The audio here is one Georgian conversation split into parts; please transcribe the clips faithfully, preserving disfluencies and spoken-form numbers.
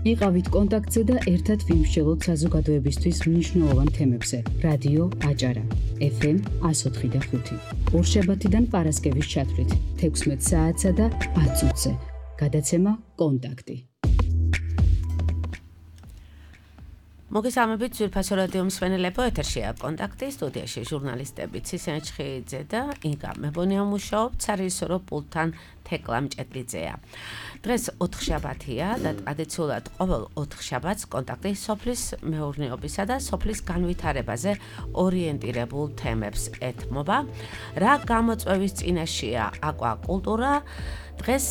იყავით კონტაქტზე და ერთად ვიმსჯელოთ საზოგადოებისთვის მნიშვნელოვან თემებზე. რადიო აჭარა, ეფ ემ εκατო ოთხი და ხუთი. ორშაბათიდან პარასკევის ჩათვლით, თექვსმეტ საათსა და ათ წუთზე. გადაცემა კონტაქტი. მოგესალმებით ძვირფასო რადიო მსმენელებო, ეთერშია კონტაქტი, სტუდიაში ჟურნალისტები ცისენ ჩხიძე და ინგა მებონია მუშაობ, სარეჟისორო პულტთან თეკლა მჭედლიძეა. დღეს ოთხშაბათია და ტრადიციულად ყოველ ოთხშაბათს კონტაქტი სოფლის მეურნეობისა და სოფლის განვითარებაზე ორიენტირებულ თემებს ეთმობა. რა გამოწვევის წინაშეა აკვაკულტურა? დღეს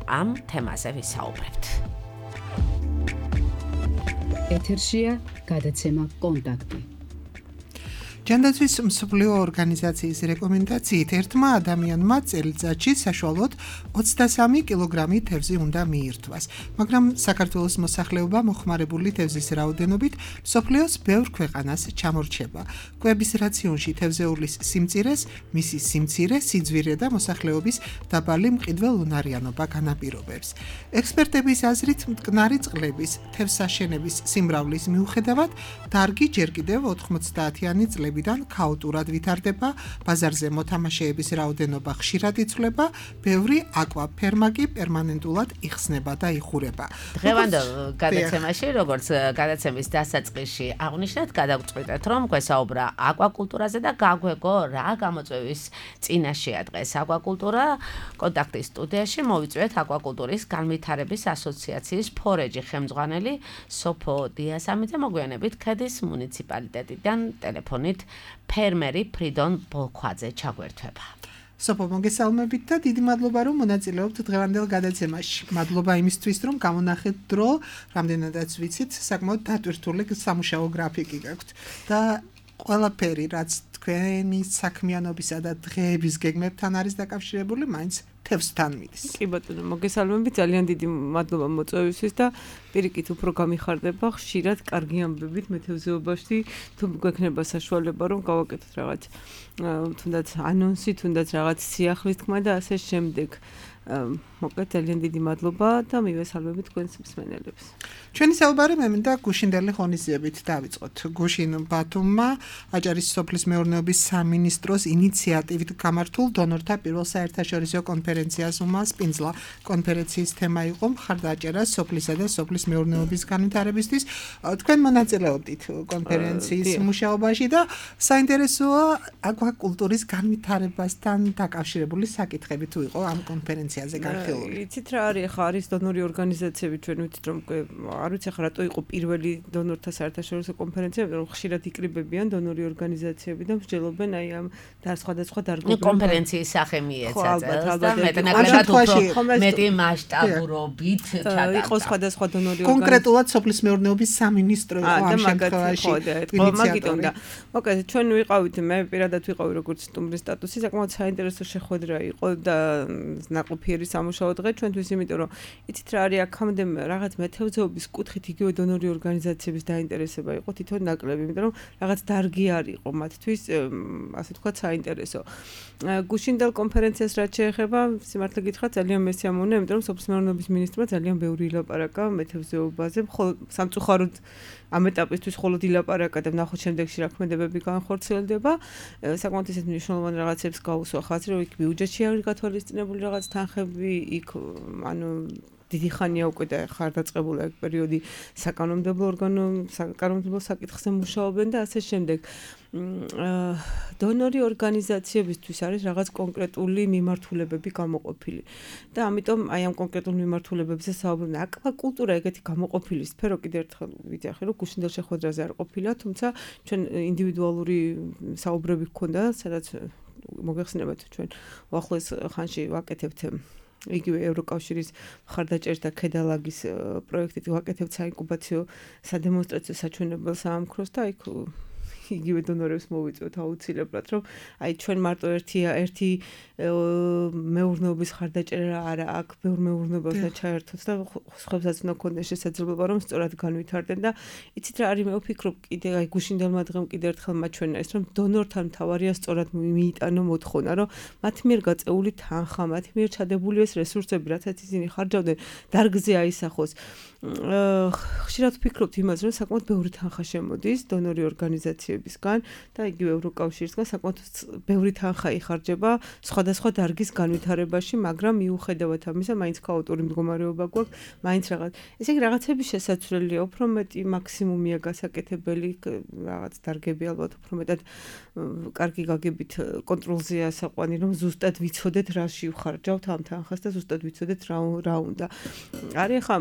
ამ თემაზე ვისაუბრებთ. ეთერშია გადაცემა კონტაქტი. ჯანდაცვის მსოფლიო ორგანიზაციის რეკომენდაციით ერთმა ადამიანმა წელიწადში საშუალოდ ოცდასამი კილოგრამი თევზი უნდა მიირთვას, მაგრამ საქართველოს მოსახლეობა მოხმარებული თევზის რაოდენობით მსოფლიოს ბევრ ქვეყანას ჩამორჩება. კვების რაციონში თევზეულის სიმწირეს, მისი სიმცირე, სიძვირე და მოსახლეობის დაბალი მყიდველუნარიანობა განაპირობებს. ექსპერტების აზრით, მტკნარი წყლების თევზსაშენების სიმრავლის მიუხედავად, დარგი ჯერ კიდევ ოთხმოცდაათიანი წლები დან ქაოტურად ვითარდება, ბაზარზე მოთამაშეების რაოდენობა ხშირად იცვლება, ბევრი აკვაფერმა კი პერმანენტულად იხსნება და იხურება. დღევანდელ გადაცემაში, როგორც გადაცემის დასაწყისში აღნიშნეთ, გადავწყვიტეთ, რომ გვესაუბრა აკვაკულტურაზე და გაგვეგო რა გამოწვევის წინაშეა დღეს აკვაკულტურა. კონტაქტის სტუდიაში მოვიწვიეთ აკვაკულტურის განვითარების ასოციაციის ფორეჯი ხელმძღვანელი სოფო დიასამიძე, მოგვიანებით ქედის მუნიციპალიტეტიდან ტელეფონით ფერმერი ფრიდონ ბოლქვაძე ჩაგვერთვება. სოფო, მოგესალმებით და დიდი მადლობა, რომ მონაწილეობთ დღევანდელ გადაცემაში. მადლობა იმისთვის, რომ გამონახეთ დრო, რამდენადაც ვიცით, საკმაოდ დატვირთული სამუშაო გრაფიკი გაქვთ და ყველაფერი, რაც თქვენი საქმიანობისა და დღეების გეგმებთან არის დაკავშირებული, მაინც თევზთან მიდის. კი ბატონო, მოგესალმებით, ძალიან დიდი მადლობა მოწვევისთვის და პირიქით უფრო გამიხარდება ხშირად კარგი ამბებით მეთევზეობაში, თუ გვექნება საშუალება რომ გავაკეთოთ რაღაც თუნდაც ანონსი, თუნდაც რაღაც სიახლის თქმა და ასე შემდეგ. მოკლედ ძალიან დიდი მადლობა და მივესალმებით თქვენს მსმენელებს. ჩვენი საუბარი მე მინდა გუშინდელი ღონისძიებით დავიწყოთ. გუშინ ბათუმმა აჭარის სოფლის მეურნეობის სამინისტროს ინიციატივით გამართულ დონორთა პირველ საერთაშორისო კონფერენციას უმასპინძლა. კონფერენციის თემა იყო მხარდაჭერა სოფლისა და სოფლის მეურნეობის განვითარებისთვის. თქვენ მონაწილეობდით კონფერენციის მუშაობაში და საინტერესოა აკვაკულტურის განვითარებასთან დაკავშირებული საკითხები თუ იყო ამ კონფერენციაზე განხილული. იცით რა არის, ხა არის დონორი ორგანიზაციები, ჩვენ ვიცით რომ არ ვიცი ხა რატო იყო პირველი დონორთა საერთაშორისო კონფერენცია, რომ ხშირად იკრიბებიან დონორი ორგანიზაციები და მსჯელობენ აი ამ და სხვადასხვა დარგობრივ კონფერენციის სახე მიეცა წელს და მეტნაკლებად უფრო მეტი მასშტაბურობით ჩატარდა. იყო სხვადასხვა დონორი ორგანიზაციები. კონკრეტულად სოფლის მეურნეობის სამინისტრო იყო ამ შემთხვევაში ინიციატორი. მოკლედ ჩვენ ვიყავით, მე პირადად ვიყავი როგორც სტუმრის სტატუსი, საკმაოდ საინტერესო შეხვედრა იყო და ნაყოფიერი სამუშაო დღე ჩვენთვის, იმიტომ რომ იცით რა არის აქამდე რაღაც მეთევზეობის კუთხით იგივე დონორი ორგანიზაციების დაინტერესება იყო თვითონ ნაკლები, იმიტომ რომ რაღაც დარგი არ იყო მათთვის, ასე ვთქვათ, საინტერესო. გუშინდელ კონფერენციას რაც შეეხება, სიმართლე გითხრათ, ძალიან მესიამოვნე, იმიტომ რომ სოფლის მეურნეობის მინისტრმა ძალიან ბევრი ილაპარაკა მეთევზეობაზე, მხოლოდ სამწუხაროდ ამ ეტაპისთვის მხოლოდ ილაპარაკა და ნახოთ შემდეგში რა ქმედებები განხორციელდება. საკმაოდ ისეთ მნიშვნელოვან რაღაცებს გაუსვა ხაზი, რომ იქ ბიუჯეტში არის გათვალისწინებული რაღაც თანხები, იქ ანუ დიდი ხანია უკვე და ხარდაწყებული ეგ პერიოდი საკანონმდებლო ორგანო საკანონმდებლო საკითხზე მუშაობენ და ასე შემდეგ. დონორი ორგანიზაციებისთვის არის რაღაც კონკრეტული მიმართულებები გამოყოფილი და ამიტომ აი ამ კონკრეტულ მიმართულებებზე საუბრობენ. აკვაკულტურა ეგეთი გამოყოფილი სფერო კიდევ ერთხელ ვიძახი, რომ გუშინდელ შეხვედრაზე არ ყოფილა, თუმცა ჩვენ ინდივიდუალური საუბრები გქონდა, სადაც მოგეხსენებათ ჩვენ უახლოეს ხანში ვაკეთებთ იგივე ევროკავშირის მხარდაჭერით და ქედალაგის პროექტით ვაკეთებთ საინკუბაციო სადემონსტრაციო საჩვენებელ საამქროს და იქ იგივე დონორებს მოვიწვევთ აუცილებლად, რომ აი ჩვენ მარტო ერთი ერთი მეურნეობის ხარდაჭერა არა, აქ ბევრ მეურნეობას და ჩაერთოთ და სხვებსაც უნდა ქონდეს შესაძლებლობა, რომ სწორად განვითარდნენ და იცით რა არის, მე ვფიქრობ კიდე აი გუშინდელმა დღემ კიდე ერთხელ მაჩვენა ეს, რომ დონორთან მთავარია სწორად მიიტანო მოთხოვნა, რომ მათ მიერ გაწეული თანხა, მათ მიერ ჩადებული ეს რესურსები, რასაც ისინი ხარჯავდნენ, დარგზე აისახოს. ხშირად ვფიქრობთ იმას, რომ საკმაოდ ბევრი თანხა შემოდის დონორი ორგანიზაციებისგან და იგივე ევროკავშირისგან საკმაოდ ბევრი თანხა იხარჯება სხვადასხვა დარგის განვითარებაში, მაგრამ მიუხედავად ამისა, მაინც ქაოტური მდგომარეობა გვაქვს, მაინც რაღაც. ესე იგი რაღაცების შესაძლებელია, უფრო მეტი მაქსიმუმია გასაკეთებელი, რაღაც დარგები ალბათ უფრო მეტად კარგი გაგებით კონტროლზეა საყვანი, რომ ზუსტად ვიცოდეთ რაში ვხარჯავთ ამ თანხას და ზუსტად ვიცოდეთ რა რა უნდა. არის ხა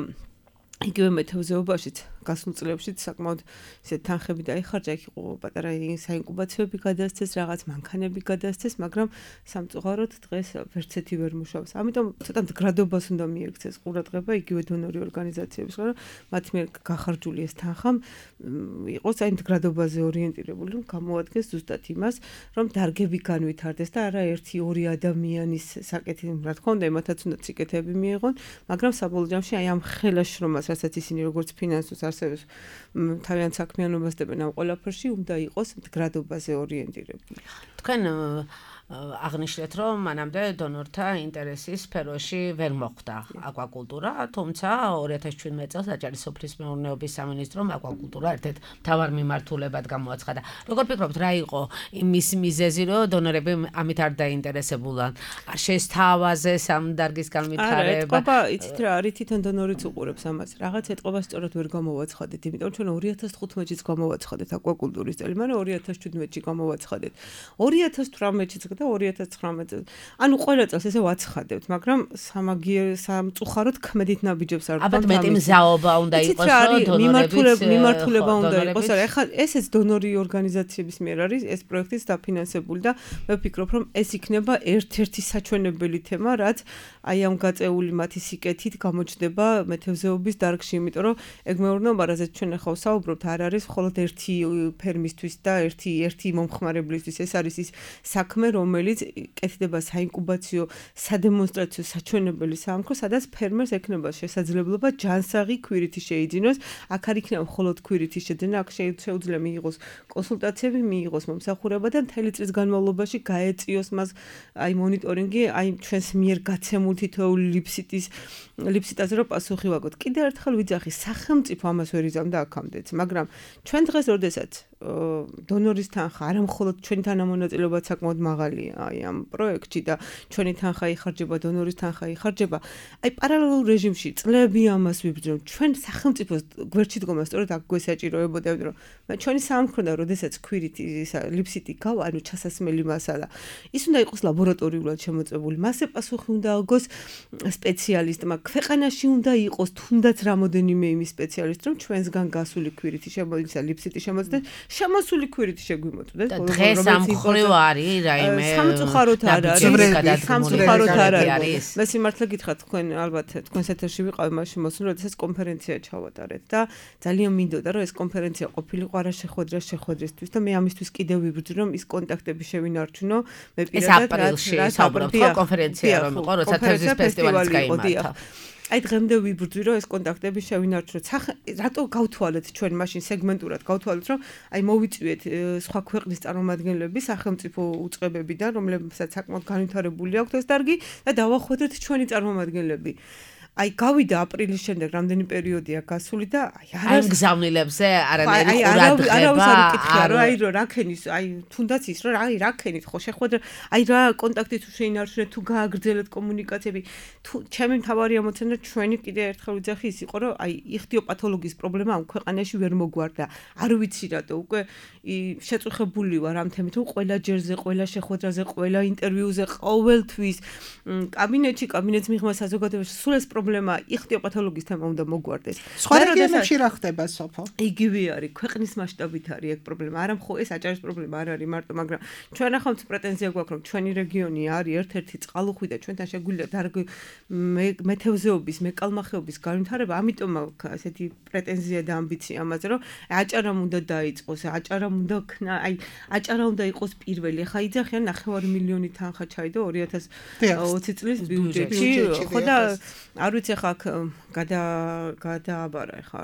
იგივე მეთევზეობაშიც გასულ წლებშიც საკმაოდ ისე თანხები დაიხარჯა, იქ იყო პატარა საინკუბაციოები გადასცეს, რაღაც მანქანები გადასცეს, მაგრამ სამწუხაროდ დღეს ვერცეთი ვერ მუშაობს. ამიტომ ცოტა მდგრადობას უნდა მიექცეს ყურადღება იგივე დონორი ორგანიზაციების, რომ მათ მიერ გახარჯული ეს თანხა იყოს აი მდგრადობაზე ორიენტირებული, რომ გამოადგეს ზუსტად იმას, რომ დარგები განვითარდეს და არა ერთი ორი ადამიანის საკეთი, რა თქმა უნდა, იმათაც უნდა სიკეთეები მიიღონ, მაგრამ საბოლოო ჯამში აი ამ ხელაშრომას, რასაც ისინი როგორც ფინანსურს არსებობს თავიანთ საქმიანობას დებენ ამ ყველაფერში, უნდა იყოს მდგრადობაზე ორიენტირებული. თქვენ აღნიშნეთ, რომ მანამდე დონორთა ინტერესის სფეროში ვერ მოხვდა აკვაკულტურა, თუმცა ორი ათას ჩვიდმეტ წელს აჭარის სოფლის მეურნეობის სამინისტრომ აკვაკულტურა ერთ-ერთ მთავარ მიმართულებად გამოაცხადა. როგორ ფიქრობთ, რა იყო იმის მიზეზი, რომ დონორები ამით არ დაინტერესებულან? არ შეესთავაზეს ამ დარგის განვითარება? არა, ეთყობა, იცით რა, არის თვითონ დონორიც უყურებს ამას. რაღაც ეთყობა სწორად ვერ გამოვაცხადეთ, იმიტომ რომ ჩვენ ორი ათას თხუთმეტშიც გამოვაცხადეთ აკვაკულტურის წელი, მაგრამ ორი ათას შვიდმეტში გამოვაცხადეთ. ორი ათას თვრამეტშიც და ორი ათას ცხრამეტზე. ანუ ყველა წელს ესე ვაცხადებთ, მაგრამ სამაგიერ სამწუხაროდ ქმედით ნაბიჯებს არ ალბათ მეტი მზაობა უნდა იყოს, რომ მიმართულება მიმართულება უნდა იყოს. არა, ეხლა ესეც დონორი ორგანიზაციების მიერ არის ეს პროექტიც დაფინანსებული და მე ვფიქრობ, რომ ეს იქნება ერთ-ერთი საჩვენებელი თემა, რაც აი ამ გაწეული მათი სიკეთით გამოჩნდება მეთევზეობის დარგში, იმიტომ რომ ეგ მეურნეობა, რაზეც ჩვენ ახლა ვსაუბრობთ, არ არის მხოლოდ ერთი ფერმისთვის და ერთი ერთი მომხმარებლისთვის, ეს არის ის საქმე, რომელიც კეთდება საინკუბაციო, სადემონსტრაციო, საჩვენებელი საამქრო, სადაც ფერმერს ექნება შესაძლებლობა ჯანსაღი ქვირითი შეიძინოს. აქ არ იქნება მხოლოდ ქვირითი შეძენა, აქ შეუძლია მიიღოს კონსულტაციები, მიიღოს მომსახურება და მთელი წლის განმავლობაში გაეწიოს მას აი მონიტორინგი, აი ჩვენს მიერ გაცემულ თითოეული ლიფსიტის ლიფსიტაზე რომ პასუხი ვაგოთ. კიდევ ერთხელ ვიძახი, სახელმწიფო ამას ვერ იზამდა აქამდეც, მაგრამ ჩვენ დღეს როდესაც დონორის თანხა არა მხოლოდ ჩვენი თანამონაწილეობაც საკმაოდ მაღალია აი ამ პროექტში და ჩვენი თანხა იხარჯება, დონორის თანხა იხარჯება. აი პარალელურ რეჟიმში წლები ამას ვიბრძვ, ჩვენ სახელმწიფოს გვერდში დგომა სწორედ აქ გვესაჭიროებოდა, რომ ჩვენი საამქრო და როდესაც ქვირითი ლიფსიტი გავა, ანუ ჩასასმელი მასალა, ის უნდა იყოს ლაბორატორიულად შემოწმებული, მასზე პასუხი უნდა აგოს სპეციალისტმა, ქვეყანაში უნდა იყოს თუნდაც რამოდენიმე იმის სპეციალისტი, რომ ჩვენსგან გასული ქვირითი შემოიცა, ლიფსიტი შემოწმდეს, შემოსული ქვირითი შეგვიმოწმდეს. დღეს ამ მხრივ არის რაიმე სამწუხაროდ არ არის, სამწუხაროდ არ არის. მე სიმართლე გითხრათ, თქვენ ალბათ თქვენს ეთერში ვიყავი მაშინ მოსულ, როდესაც კონფერენცია ჩავატარეთ და ძალიან მინდოდა, რომ ეს კონფერენცია ყოფილიყო არა შეხვედრა შეხვედრისთვის და მე ამისთვის კიდევ ვიბრძვი, რომ ის კონტაქტები შევინარჩუნო. მე პირადად ეს აპრილში საუბრობთ ხო კონფერენცია რომ იყო, როცა თევზის ფესტივალიც გაიმართა. აი დღემდე ვიბრძვი, რომ ეს კონტაქტები შევინარჩუნოთ. რატო გავთვალეთ ჩვენ მაშინ სეგმენტურად გავთვალეთ, რომ აი მოვიწვიეთ სხვა ქვეყნის წარმომადგენლები, სახელმწიფო უწყებებიდან, რომლებსაც საკმაოდ განვითარებული აქვთ ეს დარგი და დავახვედრეთ ჩვენი წარმომადგენლები. აი გავიდა აპრილის შემდეგ რამდენი პერიოდია გასული და აი არ გზავნილებზე არანაირი ყურადღება არ აი რა რაკენის აი თუნდაც ის რომ აი რაკენით ხო შეხვედრა აი რა კონტაქტი თუ შეინარჩუნეთ თუ გააგრძელეთ კომუნიკაციები თუ ჩემი მთავარი ამოცანა ჩვენი კიდე ერთხელ ვიძახი ის იყო რომ აი იხთიოპათოლოგიის პრობლემა ამ ქვეყანაში ვერ მოგვარდა არ ვიცი რატო უკვე შეწუხებული ვარ ამ თემით რომ ყველა ჯერზე ყველა შეხვედრაზე ყველა ინტერვიუზე ყოველთვის კაბინეტში კაბინეტს მიღმა საზოგადოებაში სულ ეს პრობლემა იხთიოპათოლოგიის თემა უნდა მოგვარდეს. სხვა რეგიონებში რა ხდება სოფო? იგივე არის, ქვეყნის მასშტაბით არის ეგ პრობლემა. არა მხოლოდ ეს აჭარის პრობლემა არ არის მარტო, მაგრამ ჩვენ ახლა პრეტენზია გვაქვს, რომ ჩვენი რეგიონი არის ერთ-ერთი წყალუხვი და ჩვენთან შეგვიძლია დარგი მეთევზეობის, მეკალმახეობის განვითარება, ამიტომ აქვს ასეთი პრეტენზია და ამბიცია ამაზე, რომ აჭარამ უნდა დაიწყოს, აჭარამ უნდა ქნა, აი აჭარა უნდა იყოს პირველი. ახლა იძახიან ნახევარი მილიონი თანხა ჩაიდო ორი ათას ოცი წლის ბიუჯეტში, ხო და არ არ ვიცი ხა გადა გადააბარა ხა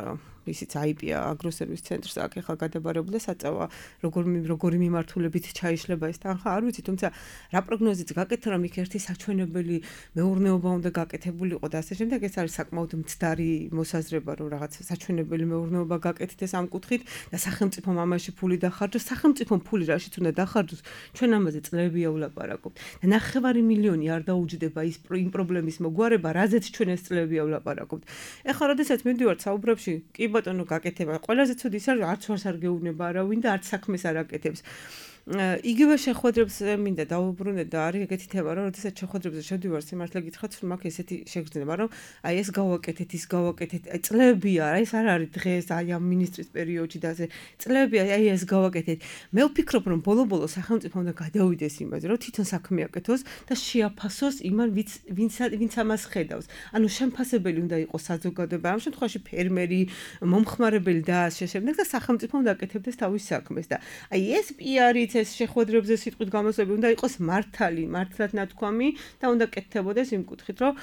ისიც აი პი-ა აგროსერვის ცენტრს აქ ახლა გადაბარებული და საწავა როგორ როგორი მიმართულებით ჩაიშლება ეს თანხა არ ვიცი თუმცა რა პროგნოზიც გაკეთე რომ იქ ერთი საჩვენებელი მეურნეობა უნდა გაკეთებულიყო და ასე შემდეგ ეს არის საკმაოდ მცდარი მოსაზრება რომ რაღაც საჩვენებელი მეურნეობა გაკეთდეს ამ კუთხით და სახელმწიფომ ამაში ფული დახარჯოს სახელმწიფომ ფული რაშიც უნდა დახარჯოს ჩვენ ამაზე წლებია ვლაპარაკობთ და ნახევარი მილიონი არ დაუჯდება ის იმ პრობლემის მოგვარება რაზეც ჩვენ ეს წლებია ვლაპარაკობთ ეხლა როდესაც მივდივართ საუბრებში კი ბატონო გაკეთება ყველაზე ცუდი ის არის არც ვარს არ გეუბნება არავინ და არც საქმეს არ აკეთებს იგივე შეხვედრებს მინდა დაუბრუნდე და არის ეგეთი თემა რომ როდესაც შეხვედრებზე შევდივარ სიმართლე გითხრათ რომ მაქვს ესეთი შეგრძნება რომ აი ეს გავაკეთეთ ის გავაკეთეთ აი წლებია აი ეს არ არის დღეს აი ამ მინისტრის პერიოდში და ასე წლებია აი ეს გავაკეთეთ მე ვფიქრობ რომ ბოლო-ბოლო სახელმწიფო უნდა გადავიდეს იმაზე რომ თვითონ საქმე აკეთოს და შეაფასოს იმან ვინც ვინც ამას ხედავს ანუ შემფასებელი უნდა იყოს საზოგადოება ამ შემთხვევაში ფერმერი მომხმარებელი და ასე შემდეგ და სახელმწიფო უნდა აკეთებდეს თავის საქმეს და აი ეს პიარიც ეს შეხვედრებზე სიტყვით გამოსვლები უნდა იყოს მართალი, მართლად ნათქვამი და უნდა კეთდებოდეს იმ კუთხით, რომ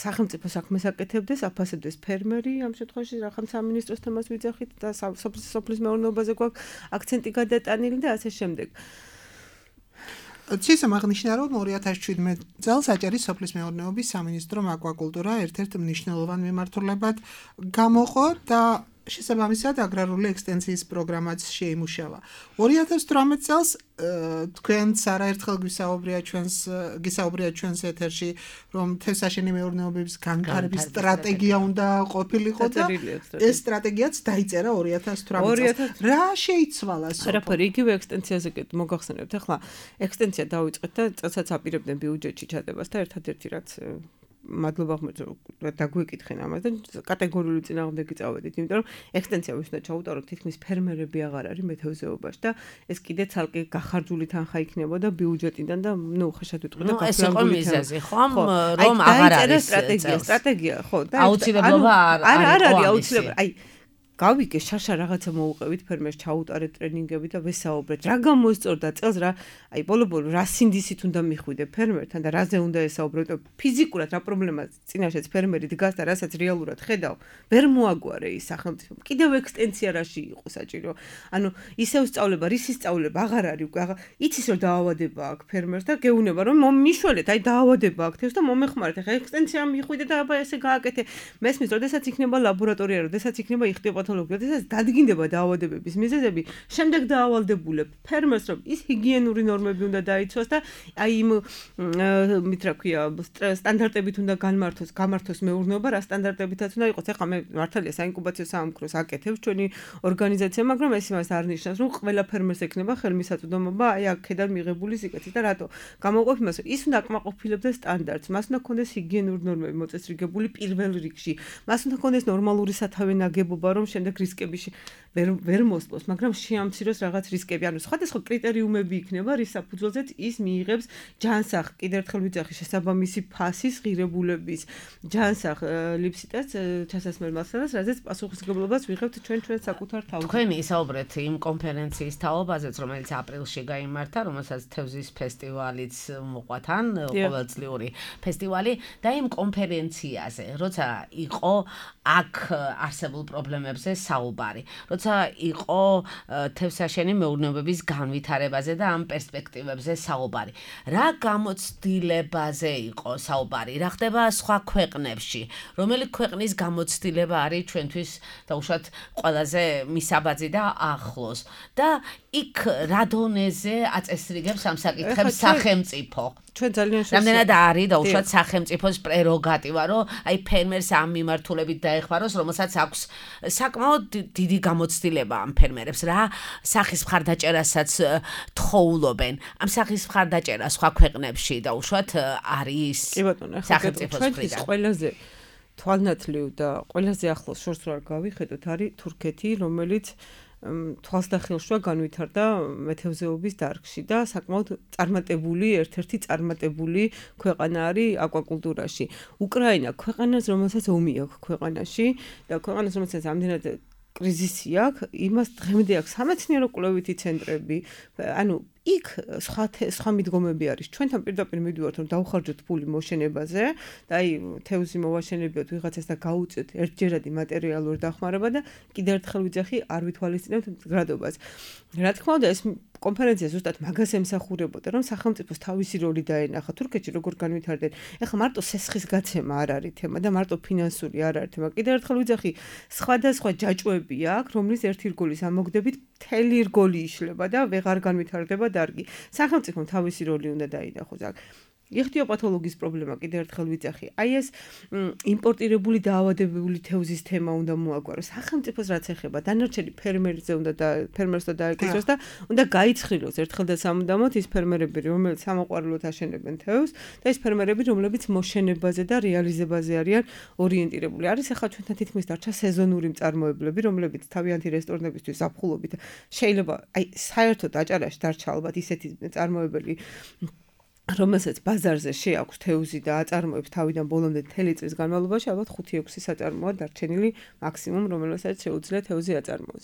სახელმწიფო საქმეს აკეთებდეს, აფასებდეს ფერმერი, ამ შემთხვევაში რაღაც სამინისტროს თემას ვიძახით და სოფლის მეურნეობაზე გვაქვს აქცენტი გადატანილი და ასე შემდეგ. ცისამ აღნიშნა რომ ორი ათას შვიდმეტ წელს აჭარის სოფლის მეურნეობის სამინისტრომ აკვაკულტურა ერთ-ერთ მნიშვნელოვან მიმართულებად გამოყო და შესაბამისად აგრარული ექსტენსიის პროგრამაც შეიმუშავა. ორი ათას თვრამეტ წელს თქვენც არაერთხელ გვისაუბრია ჩვენს გისაუბრია ჩვენს ეთერში რომ თევზსაშენი მეურნეობების განვითარების სტრატეგია უნდა ყოფილიყო და ეს სტრატეგიაც დაიწერა ორი ათას თვრამეტ წელს. რა შეიცვალა სოფო? არაფერი იგივე ექსტენსიაზე მოგახსენებთ ახლა ექსტენსია დავიწყეთ და წელსაც აპირებდნენ ბიუჯეტში ჩადებას და ერთადერთი რაც მადლობა ხმაურს დაგვეკითხენ ამას და კატეგორიული წინააღმდეგი წავედით, იმიტომ რომ ექსტენსია ვის უნდა ჩაუტაროთ თითქმის ფერმერები აღარ არის მეთევზეობაში და ეს კიდე ცალკე გახარჯული თანხა იქნებოდა ბიუჯეტიდან და ნუ ხეშად ვიტყვი და გაფრანგული მიზეზი ხომ რომ აღარ არის სტრატეგია, სტრატეგია ხო და აუცილებლობა არ არის აუცილებლობა აი გავიგე შარშა რაღაცა მოუყევით ფერმერს ჩაუტარეთ ტრენინგები და ვესაუბრეთ რა გამოსწორდა წელს რა აი ბოლო-ბოლო რა სინდისით უნდა მიხვიდე ფერმერთან და რაზე უნდა ესაუბროთ ფიზიკურად რა პრობლემაა წინაშეც ფერმერი დგას და რასაც რეალურად ხედავ ვერ მოაგვარე ის სახელმწიფო კიდევ ექსტენსია რაში იყო საჭირო ანუ ისევ სწავლება რისი სწავლება აღარ არის უკვე აღარ იცის რომ დაავადება აქვს ფერმერს და გეუნება რომ მომიშველეთ აი დაავადება აქვს თევზს და მომეხმარეთ ახლა ექსტენსია მიხვიდე და აბა ესე გააკეთე მესმის როდესაც იქნება ლაბორატორია როდესაც იქნება იხდება პათოლოგიას დაადგინდება დაავადებების მიზეზები, შემდეგ დაავალდებულებ ფერმერს რომ ის ჰიგიენური ნორმები უნდა დაიცვას და აი იმ მით რა ქვია სტანდარტებით უნდა განმართოს, გამართოს მეურნეობა, რა სტანდარტებითაც უნდა იყოს. ეხლა მე მართალია საინკუბაციო საამქროს აკეთებ ჩვენი ორგანიზაცია, მაგრამ ეს იმას არ ნიშნავს, რომ ყველა ფერმერს ექნება ხელმისაწვდომობა აი აქედან მიღებული სიკეთით და რატო? გამოყოფ იმას, რომ ის უნდა აკმაყოფილებდეს სტანდარტს, მას უნდა ქონდეს ჰიგიენური ნორმები მოწესრიგებული პირველ რიგში. მას უნდა ქონდეს ნორმალური სათავე ნაგებობა, რომ შემდეგ რისკებში ვერ ვერ მოსწოს, მაგრამ შეამციროს რაღაც რისკები. ანუ სხვადასხვა კრიტერიუმები იქნება, რის საფუძველზეც ის მიიღებს ჯანსაღ, კიდევ ერთხელ ვიძახი, შესაბამისი ფასის ღირებულების ჯანსაღ ლიფსიტას ჩასასმელ მასალას, რაზეც პასუხისმგებლობას ვიღებთ ჩვენ ჩვენ საკუთარ თავზე. თქვენი ისაუბრეთ იმ კონფერენციის თაობაზეც, რომელიც აპრილში გაიმართა, რომელსაც თევზის ფესტივალიც მოყვა თან, ყოველწლიური ფესტივალი და იმ კონფერენციაზე, როცა იყო აქ არსებულ პრობლემებზე საუბარი. როცა იყო თევზსაშენი მეურნეობების განვითარებაზე და ამ პერსპექტივებზე საუბარი. რა გამოცდილებაზე იყო საუბარი? რა ხდება სხვა ქვეყნებში? რომელი ქვეყნის გამოცდილება არის ჩვენთვის დაუშვათ ყველაზე მისაბაძი და ახლოს? და იქ რა დონეზე აწესრიგებს ამ საკითხებს სახელმწიფო? ჩვენ ძალიან შესაძლოა. რამდენად არის დაუშვათ სახელმწიფოს პრეროგატივა, რომ აი ფერმერს ამ მიმართულებით დაეხმაროს, რომელსაც აქვს საკმაოდ დიდი გამოცდილება ამ ფერმერებს, რა სახის მხარდაჭერასაც თხოვლობენ. ამ სახის მხარდაჭერა სხვა ქვეყნებში დაუშვათ არის სახელმწიფოს მხრიდან. ყველაზე თვალნათლივ და ყველაზე ახლოს შორს რა გავიხედოთ არის თურქეთი, რომელიც თვალს და ხელშვა განვითარდა მეთევზეობის დარგში და საკმაოდ წარმატებული, ერთ-ერთი წარმატებული ქვეყანა არის აკვაკულტურაში. უკრაინა ქვეყანას, რომელსაც ომი აქვს ქვეყანაში და ქვეყანას, რომელსაც ამდენად კრიზისი აქვს, იმას დღემდე აქვს სამეცნიერო კვლევითი ცენტრები, ანუ იქ სხვა სხვა მიდგომები არის. ჩვენთან პირდაპირ მივიდივართ, რომ დავხარჯოთ ფული მოშენებაზე და აი თევზი მოვაშენებიოთ ვიღაცას და გაუწევთ ერთჯერადი მატერიალური დახმარება და კიდევ ერთხელ ვიძახი, არ ვითვალისწინებთ მდგრადობას. რა თქმა უნდა, ეს კონფერენცია ზუსტად მაგას ემსახურებოდა, რომ სახელმწიფოს თავისი როლი დაენახა. თურქეთში როგორ განვითარდნენ. ეხლა მარტო სესხის გაცემა არ არის თემა და მარტო ფინანსური არ არის თემა. კიდევ ერთხელ ვიძახი, სხვადასხვა ჯაჭვები აქვს, რომლის ერთი რგოლის ამოგდებით მთელი რგოლი იშლება და ვეღარ განვითარდება დარგი. სახელმწიფომ თავისი როლი უნდა დაინახოს აქ. იხთიოპათოლოგიის პრობლემა კიდევ ერთხელ ვიძახი. აი ეს იმპორტირებული დაავადებებული თევზის თემა უნდა მოაგვაროს. სახელმწიფოს რაც ეხება, დანარჩენი ფერმერზე უნდა და ფერმერს და დაეკისროს და უნდა გაიცხრილოს ერთხელ და სამუდამოდ ის ფერმერები, რომლებიც სამოყვარულოდ აშენებენ თევზს და ის ფერმერები, რომლებიც მოშენებაზე და რეალიზებაზე არიან ორიენტირებული. არის ახლა ჩვენთან თითქმის დარჩა სეზონური მწარმოებლები, რომლებიც თავიანთი რესტორნებისთვის ზაფხულობით შეიძლება აი საერთოდ აჭარაში დარჩა ალბათ ისეთი მწარმოებელი რომელსაც ბაზარზე შეაქვს თევზი და აწარმოებს თავიდან ბოლომდე მთელი წლის განმავლობაში, ალბათ ხუთი ექვსი საწარმოა დარჩენილი მაქსიმუმ, რომელსაც შეუძლია თევზი აწარმოოს.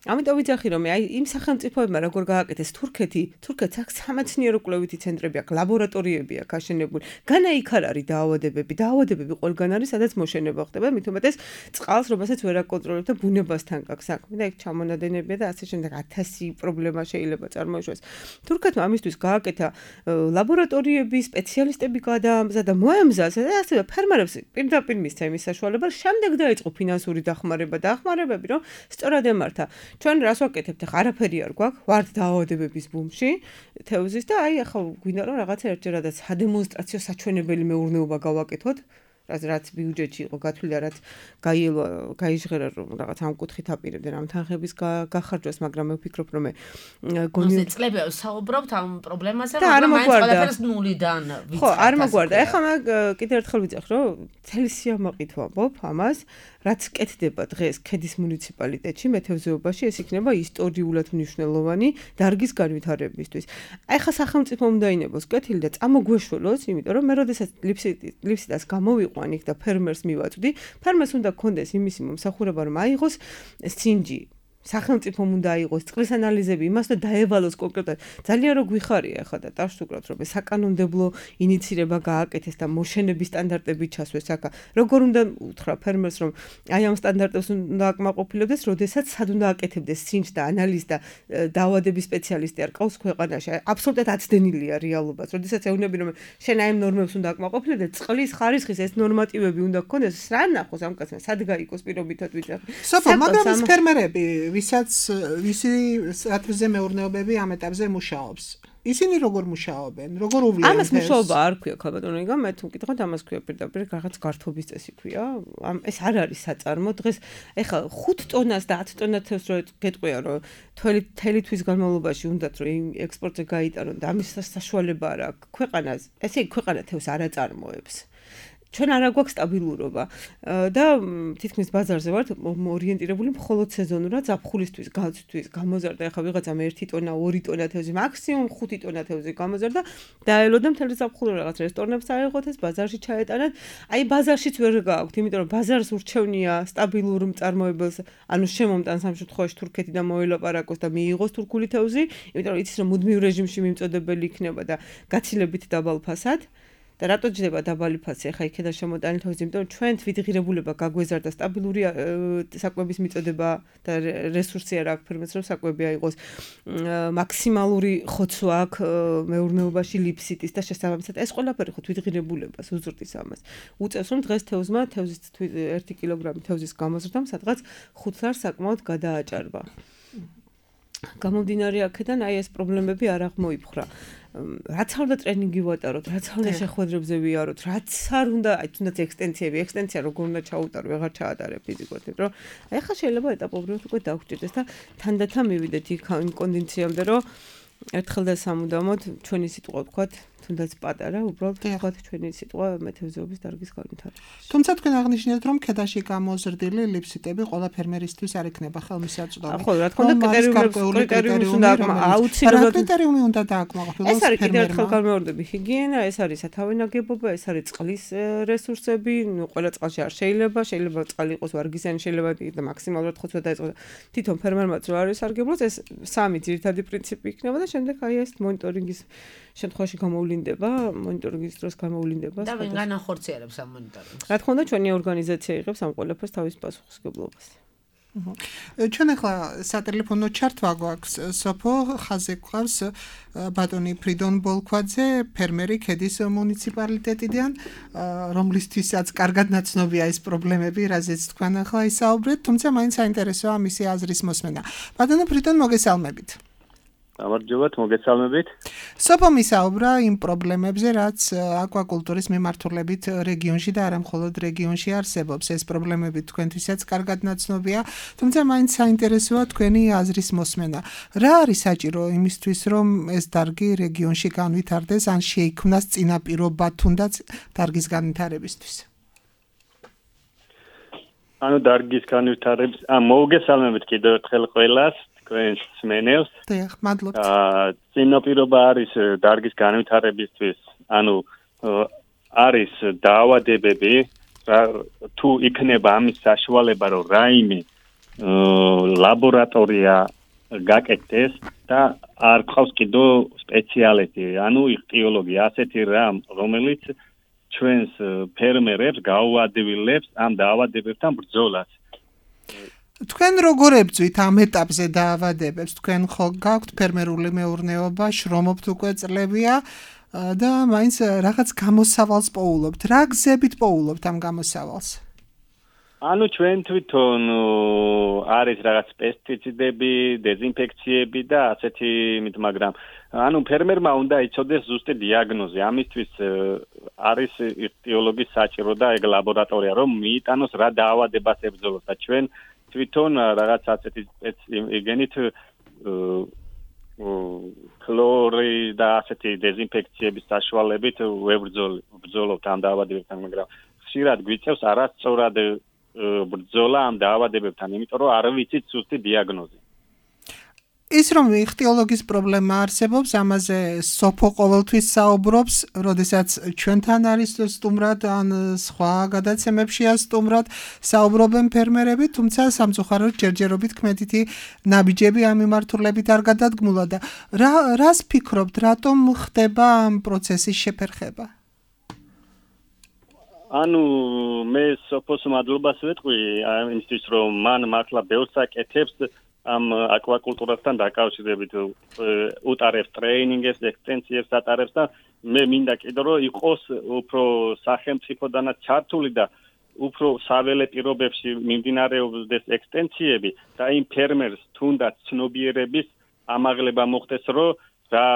ამიტომ ვიძახი, რომ აი იმ სახელმწიფოებმა როგორ გააკეთეს თურქეთი, თურქეთს აქვს სამეცნიერო კვლევითი ცენტრები აქვს, ლაბორატორიები აქვს აშენებული. განა იქ არ არის დაავადებები, დაავადებები ყველგან არის, სადაც მოშენება ხდება, მით უმეტეს წყალს, რომელსაც ვერ აკონტროლებთ და ბუნებასთან გაქვს საქმე და იქ ჩამონადენებია და ასე შემდეგ ათასი პრობლემა შეიძლება წარმოიშვეს. თურქეთმა ამისთვის გააკეთა ლაბორატორიები, სპეციალისტები გადაამზადა, მოემზადა და ასე ფერმერებს პირდაპირ მისცა იმის საშუალება, შემდეგ დაიწყო ფინანსური დახმარება და დახმარებები, რომ სწორად ემართა. ჩვენ რას ვაკეთებთ? ახლა არაფერი არ გვაქვს, ვართ დაავადებების ბუმში თევზის და აი ახლა გვინდა რომ რაღაცა ერთჯერადაც სადემონსტრაციო საჩვენებელი მეურნეობა გავაკეთოთ, რაც რაც ბიუჯეტში იყო გათვლილი, რაც გაიელვა, გაიჟღერა რომ რაღაც ამ კუთხით აპირებდნენ ამ თანხების გახარჯვას, მაგრამ მე ვფიქრობ რომ მე გონი წლები საუბრობთ ამ პრობლემაზე, მაგრამ მაინც ყველაფერს ნულიდან ვიცხავთ. ხო, არ მაგვარდა. ახლა მე კიდევ ერთხელ ვიძახ, რომ მთელი სიამაყით ვამბობ ამას, რაც კეთდება დღეს ქედის მუნიციპალიტეტში მეთევზეობაში, ეს იქნება ისტორიულად მნიშვნელოვანი დარგის განვითარებისთვის. აი ხა სახელმწიფო უნდა ინებოს კეთილი და წამოგვეშველოს, იმიტომ რომ მე როდესაც ლიფსიტას გამოვიყვან იქ და ფერმერს მივაწვდი, ფერმერს უნდა კონდეს იმისი მომსახურება, რომ აიღოს სინჯი. სახელმწიფომ უნდა აიღოს წყლის ანალიზები, იმას და დაევალოს კონკრეტულად. ძალიან რო გვიხარია ახლა და დავშუქროთ, რომ საკანონმდებლო ინიცირება გააკეთეს და მოშენების სტანდარტები ჩასვეს აქა. როგორ უნდა უთხრა ფერმერს, რომ აი ამ სტანდარტებს უნდა აკმაყოფილებდეს, როდესაც სად უნდა აკეთებდეს სინჯს და ანალიზს და დაავადების სპეციალისტი არ ყავს ქვეყანაში. აბსოლუტურად აცდენილია რეალობას. როდესაც ეუბნები, რომ შენ აი ამ ნორმებს უნდა აკმაყოფილებდეს, წყლის ხარისხის ეს ნორმატივები უნდა გქონდეს, რა ნახოს ამ კაცმა, სად გაიგოს პირობითად ვიძახი. სოფო, მაგრამ ეს ფერმერები ვისაც ვისი სათვზე მეურნეობები ამ ეტაპზე მუშაობს. ისინი როგორ მუშაობენ? როგორ უვლიან? ამას მუშაობა არ ქვია, ხალბატონო, იგა მე თუ მკითხოთ, ამას ქვია პირდაპირ რაღაც გართობის წესი ქვია. ამ ეს არ არის საწარმო. დღეს ეხლა ხუთ ტონას და ათი ტონა თევზს რო გეტყვია, რომ თველი თელი თვის განმავლობაში უნდათ რომ იმ ექსპორტზე გაიტანონ და ამის საშუალება არ აქვს ქვეყანას. ესე იგი ქვეყანა თევზს არ აწარმოებს. ჩვენ არ აგვაქვს სტაბილურობა და თითქმის ბაზარზე ვართ ორიენტირებული მხოლოდ სეზონურად ზაფხულისთვის, გაცვთვის, გამოზარდა ახლა ვიღაცამ ერთი ტონა, ორი ტონა თევზი, მაქსიმუმ ხუთი ტონა თევზი გამოზარდა, დაელოდა მთელი ზაფხული რაღაც რესტორნებს აიღოთ, ეს ბაზარში ჩაეტანათ. აი ბაზარშიც ვერ გააქვთ, იმიტომ რომ ბაზარს ურჩევნია სტაბილურ მწარმოებელს, ანუ შემომტანს ამ შემთხვევაში თურქეთი და მოელაპარაკოს და მიიღოს თურქული თევზი, იმიტომ რომ იცის რომ მუდმივ რეჟიმში მიმწოდებელი იქნება და გაცილებით დაბალ ფასად. და რატო ჯდება დაბალი ფასი ახლა იქედა შემოტანილი თევზი, იმიტომ რომ ჩვენ თვითღირებულება გაგვეზარდა სტაბილური საკვების მიწოდება და რესურსი არ აქვს ფერმერს რომ საკვები აიღოს. მაქსიმალური ხოცვა აქვს მეურნეობაში ლიფსიტის და შესაბამისად ეს ყველაფერი ხო თვითღირებულებას უზრდის ამას. უწევს რომ დღეს თევზმა თევზის ერთი კილოგრამი თევზის გამოზრდამ სადღაც ხუთ ლარს საკმაოდ გადააჭარბა. გამომდინარე აქედან აი ეს პრობლემები არ აღმოიფხვრა. რაც არ უნდა ტრენინგი ვატაროთ, რაც არ უნდა შეხვედრებზე ვიაროთ, რაც არ უნდა, აი თუნდაც ექსტენციები, ექსტენცია როგორ უნდა ჩაუტარო, ვეღარ ჩაატარებ ფიზიკურად, იმიტომ რომ აი ხა შეიძლება ეტაპობრივად უკვე დაგვჭირდეს და თანდათან მივიდეთ იქ იმ კონდიციამდე, რომ ერთხელ და სამუდამოდ ჩვენი სიტყვა ვთქვათ, თუნდაც პატარა, უბრალოდ ვთქვათ ჩვენი სიტყვა მეთევზეობის დარგის განვითარებაში. თუმცა თქვენ აღნიშნეთ, რომ ქედაში გამოზრდილი ლიფსიტები ყველა ფერმერისთვის არ იქნება ხელმისაწვდომი. ხო, რა თქმა უნდა, კრიტერიუმს უნდა აუცილებლად კრიტერიუმი უნდა დააკმაყოფილოს ფერმერმა. ეს არის კიდევ ერთხელ განმეორდები ჰიგიენა, ეს არის სათავე ნაგებობა, ეს არის წყლის რესურსები, ნუ ყველა წყალში არ შეიძლება, შეიძლება წყალი იყოს ვარგისიანი, შეიძლება და მაქსიმალურად ხოცვა დაეწყოს. თვითონ ფერმერმაც რო არის სარგებლოს, ეს სამი ძირითადი პრინციპი იქნება და შემდეგ აი ეს მონიტორინგის შემთხვევაში გამოვლინდება, მონიტორინგის დროს გამოვლინდება. და ვინ განახორციელებს ამ მონიტორინგს? რა თქმა უნდა, ჩვენი ორგანიზაცია იღებს ამ ყველაფერს თავის პასუხისმგებლობას. ჩვენ ახლა სატელეფონო ჩართვა გვაქვს სოფო ხაზე გვყავს ბატონი ფრიდონ ბოლქვაძე, ფერმერი ქედის მუნიციპალიტეტიდან, რომლისთვისაც კარგად ნაცნობია ეს პრობლემები, რაზეც თქვენ ახლა ისაუბრეთ, თუმცა მაინც საინტერესოა მისი აზრის მოსმენა. ბატონო ფრიდონ, მოგესალმებით. გამარჯობათ, მოგესალმებით. სოფო მისაუბრა იმ პრობლემებზე, რაც აკვაკულტურის მიმართულებით რეგიონში და არა მხოლოდ რეგიონში არსებობს. ეს პრობლემები თქვენთვისაც კარგად ნაცნობია, თუმცა მაინც საინტერესოა თქვენი აზრის მოსმენა. რა არის საჭირო იმისთვის, რომ ეს დარგი რეგიონში განვითარდეს, ან შეიქმნას წინაპირობა თუნდაც დარგის განვითარებისთვის? ანუ დარგის განვითარების, ა მოგესალმებით კიდევ ერთხელ ყველას. თქვენს მსმენელს. დიახ, მადლობთ. აა წინაპირობა არის დარგის განვითარებისთვის, ანუ არის დაავადებები, თუ იქნება ამის საშუალება, რომ რაიმე ლაბორატორია გაკეთდეს და არ ყავს კიდევ სპეციალისტი, ანუ იხტიოლოგი, ასეთი რამ, რომელიც ჩვენს ფერმერებს გაუადვილებს ამ დაავადებებთან ბრძოლას. თქვენ როგორ ებძვით ამ ეტაპზე დაავადებებს? თქვენ ხო გაქვთ ფერმერული მეურნეობა, შრომობთ უკვე წლებია და მაინც რაღაც გამოსავალს პოულობთ. რა გზებით პოულობთ ამ გამოსავალს? ანუ ჩვენ თვითონ არის რაღაც პესტიციდები, დეზინფექციები და ასეთი იმით, მაგრამ ანუ ფერმერმა უნდა იცოდეს ზუსტი დიაგნოზი. ამისთვის არის იხტიოლოგის საჭირო და ეგ ლაბორატორია, რომ მიიტანოს რა დაავადებას ებრძოლოს და ჩვენ თვითონ რაღაც ასეთი იგენით ქლორი და ასეთი დეზინფექციების საშუალებით ვებრძოლობთ ამ დაავადებებთან, მაგრამ ხშირად გვიწევს არასწორად ბრძოლა ამ დაავადებებთან, იმიტომ რომ არ ვიცით ზუსტი დიაგნოზი. ის რომ იხტიოლოგის პრობლემა არსებობს, ამაზე სოფო ყოველთვის საუბრობს, როდესაც ჩვენთან არის სტუმრად ან სხვა გადაცემებშია სტუმრად საუბრობენ ფერმერები, თუმცა სამწუხაროდ ჯერჯერობით კმედითი ნაბიჯები ამ მიმართულებით არ გადადგმულა და რა რას ფიქრობთ, რატომ ხდება ამ პროცესის შეფერხება? ანუ მე სოფოს მადლობას ვეტყვი იმისთვის, რომ მან მართლა ბევრს აკეთებს ამ აკვაკულტურასთან დაკავშირებით, უტარებს ტრეინინგებს, ექსტენსიებს ატარებს და მე მინდა კიდევ რომ იყოს უფრო სახელმწიფოდანაც ჩართული და უფრო საველე პირობებში მიმდინარეობდეს ექსტენსიები და იმ ფერმერს თუნდაც ცნობიერების ამაღლება მოხდეს, რომ რა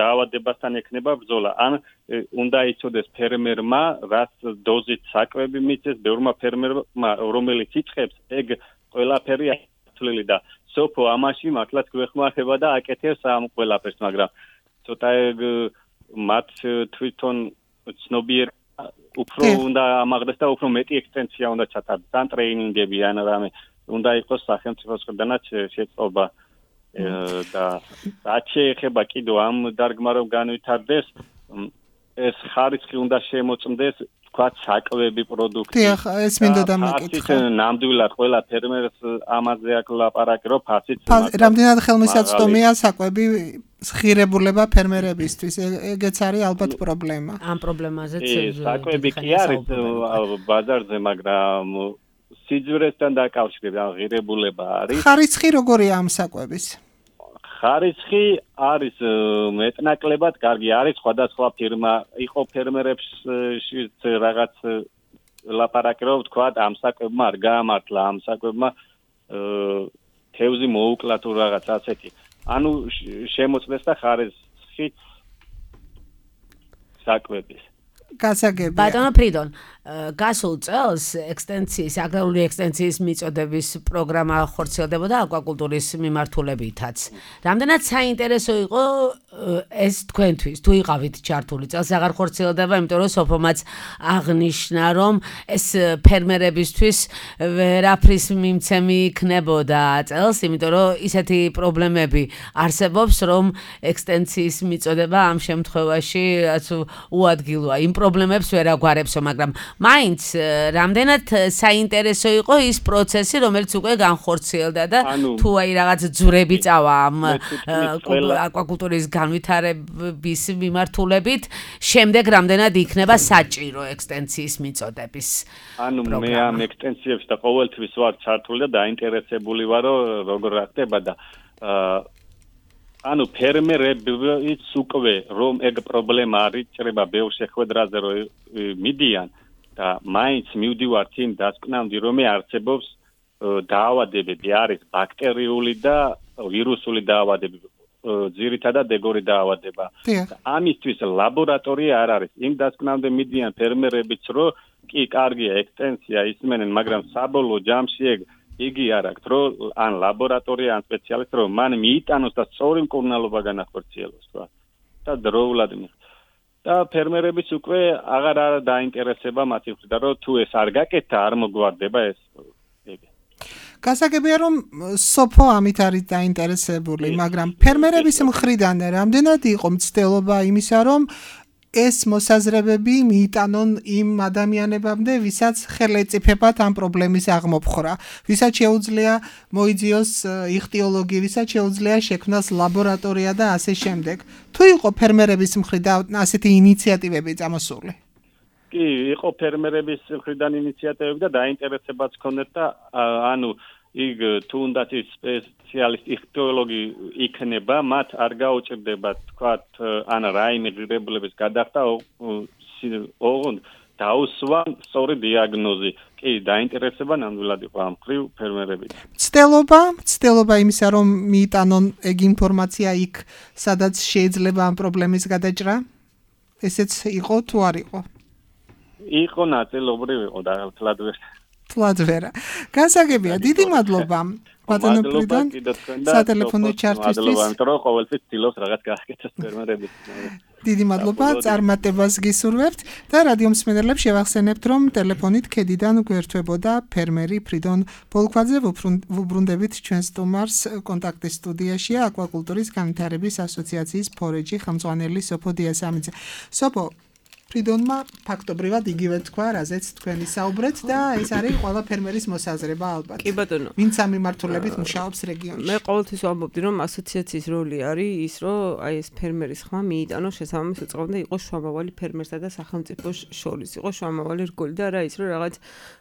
დაავადებასთან ექნება ბრძოლა. ან უნდა იცოდეს ფერმერმა, რაც დოზით საკვები მიწეს, ბევრმა ფერმერმა, რომელიც იწყებს, ეგ ყველაფერი და სოფო ამაში მართლაც გვეხმარება და აკეთებს ამ ყველაფერს, მაგრამ ცოტა მათ თვითონ ცნობიერ უფრო უნდა ამაღლდეს და უფრო მეტი ექსტენსია უნდა ჩატარდეს, ან ტრეინინგები, ან რამე უნდა იყოს სახელმწიფოსგანაც შეწყობა და რაც შეეხება კიდევ ამ დარგმა რომ განვითარდეს, ეს ხარისხი უნდა შემოწმდეს, თქვათ საკვები პროდუქტი. დიახ, ეს მინდოდა მეკითხა. ნამდვილად ყველა ფერმერს ამაზე აქვს ლაპარაკი, რომ ფასიც რამდენად ხელმისაწვდომია საკვები ღირებულება ფერმერებისთვის. ეგეც არის ალბათ პრობლემა. ამ პრობლემაზეც საკვები კი არის ბაზარზე, მაგრამ სიძვერესთან დაკავშირებით ღირებულება არის. ხარისხი როგორია ამ საკვების? ხარისხი არის მეტნაკლებად კარგი, არის სხვადასხვა ფირმა, იყო ფერმერებს რაღაც ლაპარაკი რომ თქვა ამ საკვებმა არ გაამართლა, ამ საკვებმა თევზი მოუკლა თუ რაღაც ასეთი. ანუ შემოწმდეს და ხარისხი საკვების. გასაგებია. ბატონო ფრიდონ, გასულ წელს ექსტენციის, აგრარული ექსტენციის მიწოდების პროგრამა ხორციელდებოდა აკვაკულტურის მიმართულებითაც. რამდენად საინტერესო იყო ეს თქვენთვის, თუ იყავით ჩართული წელს აღარ ხორციელდება, იმიტომ რომ სოფომაც აღნიშნა, რომ ეს ფერმერებისთვის ვერაფრის მიმცემი იქნებოდა წელს, იმიტომ რომ ისეთი პრობლემები არსებობს, რომ ექსტენციის მიწოდება ამ შემთხვევაში უადგილოა. იმ პრობლემებს ვერ აგვარებსო, მაგრამ მაინც რამდენად საინტერესო იყო ის პროცესი, რომელიც უკვე განხორციელდა და თუ აი რაღაც ძვრები წავა ამ აკვაკულტურის განვითარების მიმართულებით, შემდეგ რამდენად იქნება საჭირო ექსტენციის მიწოდების ანუ მე ამ ექსტენციებს და ყოველთვის ვარ ჩართული და დაინტერესებული ვარ, როგორ ხდება და ანუ ფერმერებიც უკვე რომ ეგ პრობლემა არ იჭრება ბევრ შეხვედრაზე რომ მიდიან და მაინც მივდივართ იმ დასკვნამდე რომ არსებობს დაავადებები, არის ბაქტერიული და ვირუსული დაავადებები, ძირითადად ეგორი დაავადება. ამისთვის ლაბორატორია არ არის. იმ დასკვნამდე მიდიან ფერმერებიც რომ კი კარგია ექსტენსია ისმენენ, მაგრამ საბოლოო ჯამში ეგ იგი არ აქვს, რომ ან ლაბორატორია, ან სპეციალისტი, რომ მან მიიტანოს და სწორი მკურნალობა განახორციელოს, რა. და დროულად მიხ. და ფერმერებიც უკვე აღარ არ დაინტერესება მათი მხრიდან, რომ თუ ეს არ გაკეთა, არ მოგვარდება ეს ეგ. გასაგებია რომ სოფო ამით არის დაინტერესებული, მაგრამ ფერმერების მხრიდან რამდენად იყო მცდელობა იმისა, რომ ეს მოსაზრებები მიიტანონ იმ ადამიანებამდე, ვისაც ხელეწიფებათ ამ პრობლემის აღმოფხვრა, ვისაც შეუძლია მოიძიოს იხტიოლოგი, ვისაც შეუძლია შექმნას ლაბორატორია და ასე შემდეგ. თუ იყო ფერმერების მხრიდან ასეთი ინიციატივები წამოსული? კი, იყო ფერმერების მხრიდან ინიციატივები და დაინტერესებაც ჰქონდათ და ანუ იქ თუნდაც სპეციალისტი იხტიოლოგი იქნება, მათ არ გაუჭირდება თქვათ ან რაიმე ღირებულების გადახდა, ოღონდ დაუსვან სწორი დიაგნოზი. კი, დაინტერესება ნამდვილად იყო ამ მხრივ ფერმერებით. მცდელობა, მცდელობა იმისა, რომ მიიტანონ ეგ ინფორმაცია იქ, სადაც შეიძლება ამ პრობლემის გადაჭრა? ესეც იყო თუ არ იყო? იყო ნაწილობრივ იყო და თლად ვერ თლადვერა. გასაგებია, დიდი მადლობა ბატონო პრიდონ სატელეფონო ჩართვისთვის. მადლობა, იმიტომ რომ ყოველთვის ცდილობს რაღაც გააკეთოს ფერმერებით. დიდი მადლობა, წარმატებას გისურვებთ და რადიო მსმენელებს შევახსენებთ, რომ ტელეფონით ქედიდან გვერდთვებოდა ფერმერი ფრიდონ ბოლქვაძე, ვუბრუნდებით ჩვენ სტუმარს კონტაქტის სტუდიაშია აკვაკულტურის განვითარების ასოციაციის ფორეჯი ხელმძღვანელი სოფო დიასამიძე. სოფო ფრიდონმა ფაქტობრივად იგივე თქვა, რაზეც თქვენი საუბრეთ და ეს არის ყველა ფერმერის მოსაზრება ალბათ. კი ბატონო. ვინც ამ მიმართულებით მუშაობს რეგიონში. მე ყოველთვის ვამბობდი, რომ ასოციაციის როლი არის ის, რომ აი ეს ფერმერის ხმა მიიტანოს შესაბამის უწყობამდე იყოს შუამავალი ფერმერსა და სახელმწიფოს შორის. იყოს შუამავალი რგოლი და არა ის, რომ რაღაც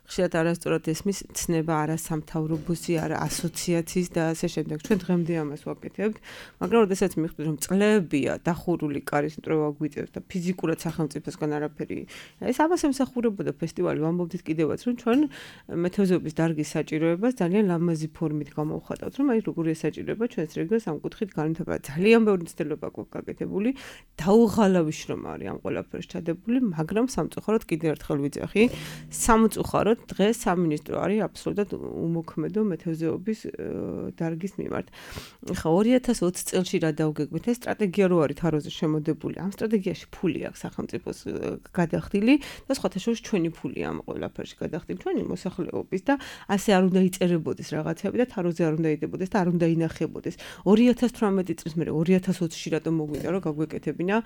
ხშირად არასწორად ესმის ცნება არა სამთავრობოსი, არა ასოციაციის და ასე შემდეგ. ჩვენ დღემდე ამას ვაკეთებთ, მაგრამ როდესაც მივხვდით, რომ წლებია დახურული კარის მტრევა გვიწევს და ფიზიკურად სახელმწიფოს არაფერი. ეს ამას ემსახურებოდა ფესტივალი, ვამბობდით კიდევაც, რომ ჩვენ მეთევზეობის დარგის საჭიროებას ძალიან ლამაზი ფორმით გამოვხატავთ, რომ აი როგორია საჭიროება ჩვენს რეგიონს ამ კუთხით განვითარება. ძალიან ბევრი მცდელობა გვაქვს გაკეთებული, დაუღალავი შრომა არის ამ ყველაფერს ჩადებული, მაგრამ სამწუხაროდ კიდევ ერთხელ ვიძახი, სამწუხაროდ დღეს სამინისტრო არის აბსოლუტურად უმოქმედო მეთევზეობის დარგის მიმართ. ხა ორი ათას ოცი წელში რა დავგეგმეთ, ეს სტრატეგია რო არის თაროზე შემოდებული, ამ სტრატეგიაში ფული აქვს სახელმწიფოს გადახდილი და სხვათა შორის ჩვენი ფული ამ ყველაფერში გადახდილი, ჩვენი მოსახლეობის და ასე არ უნდა იწერებოდეს რაღაცები და თაროზე არ უნდა იდებოდეს და არ უნდა ინახებოდეს. ორი ათას თვრამეტი წლის მერე ორი ათას ოცში რატომ მოგვიდა რომ გაგვეკეთებინა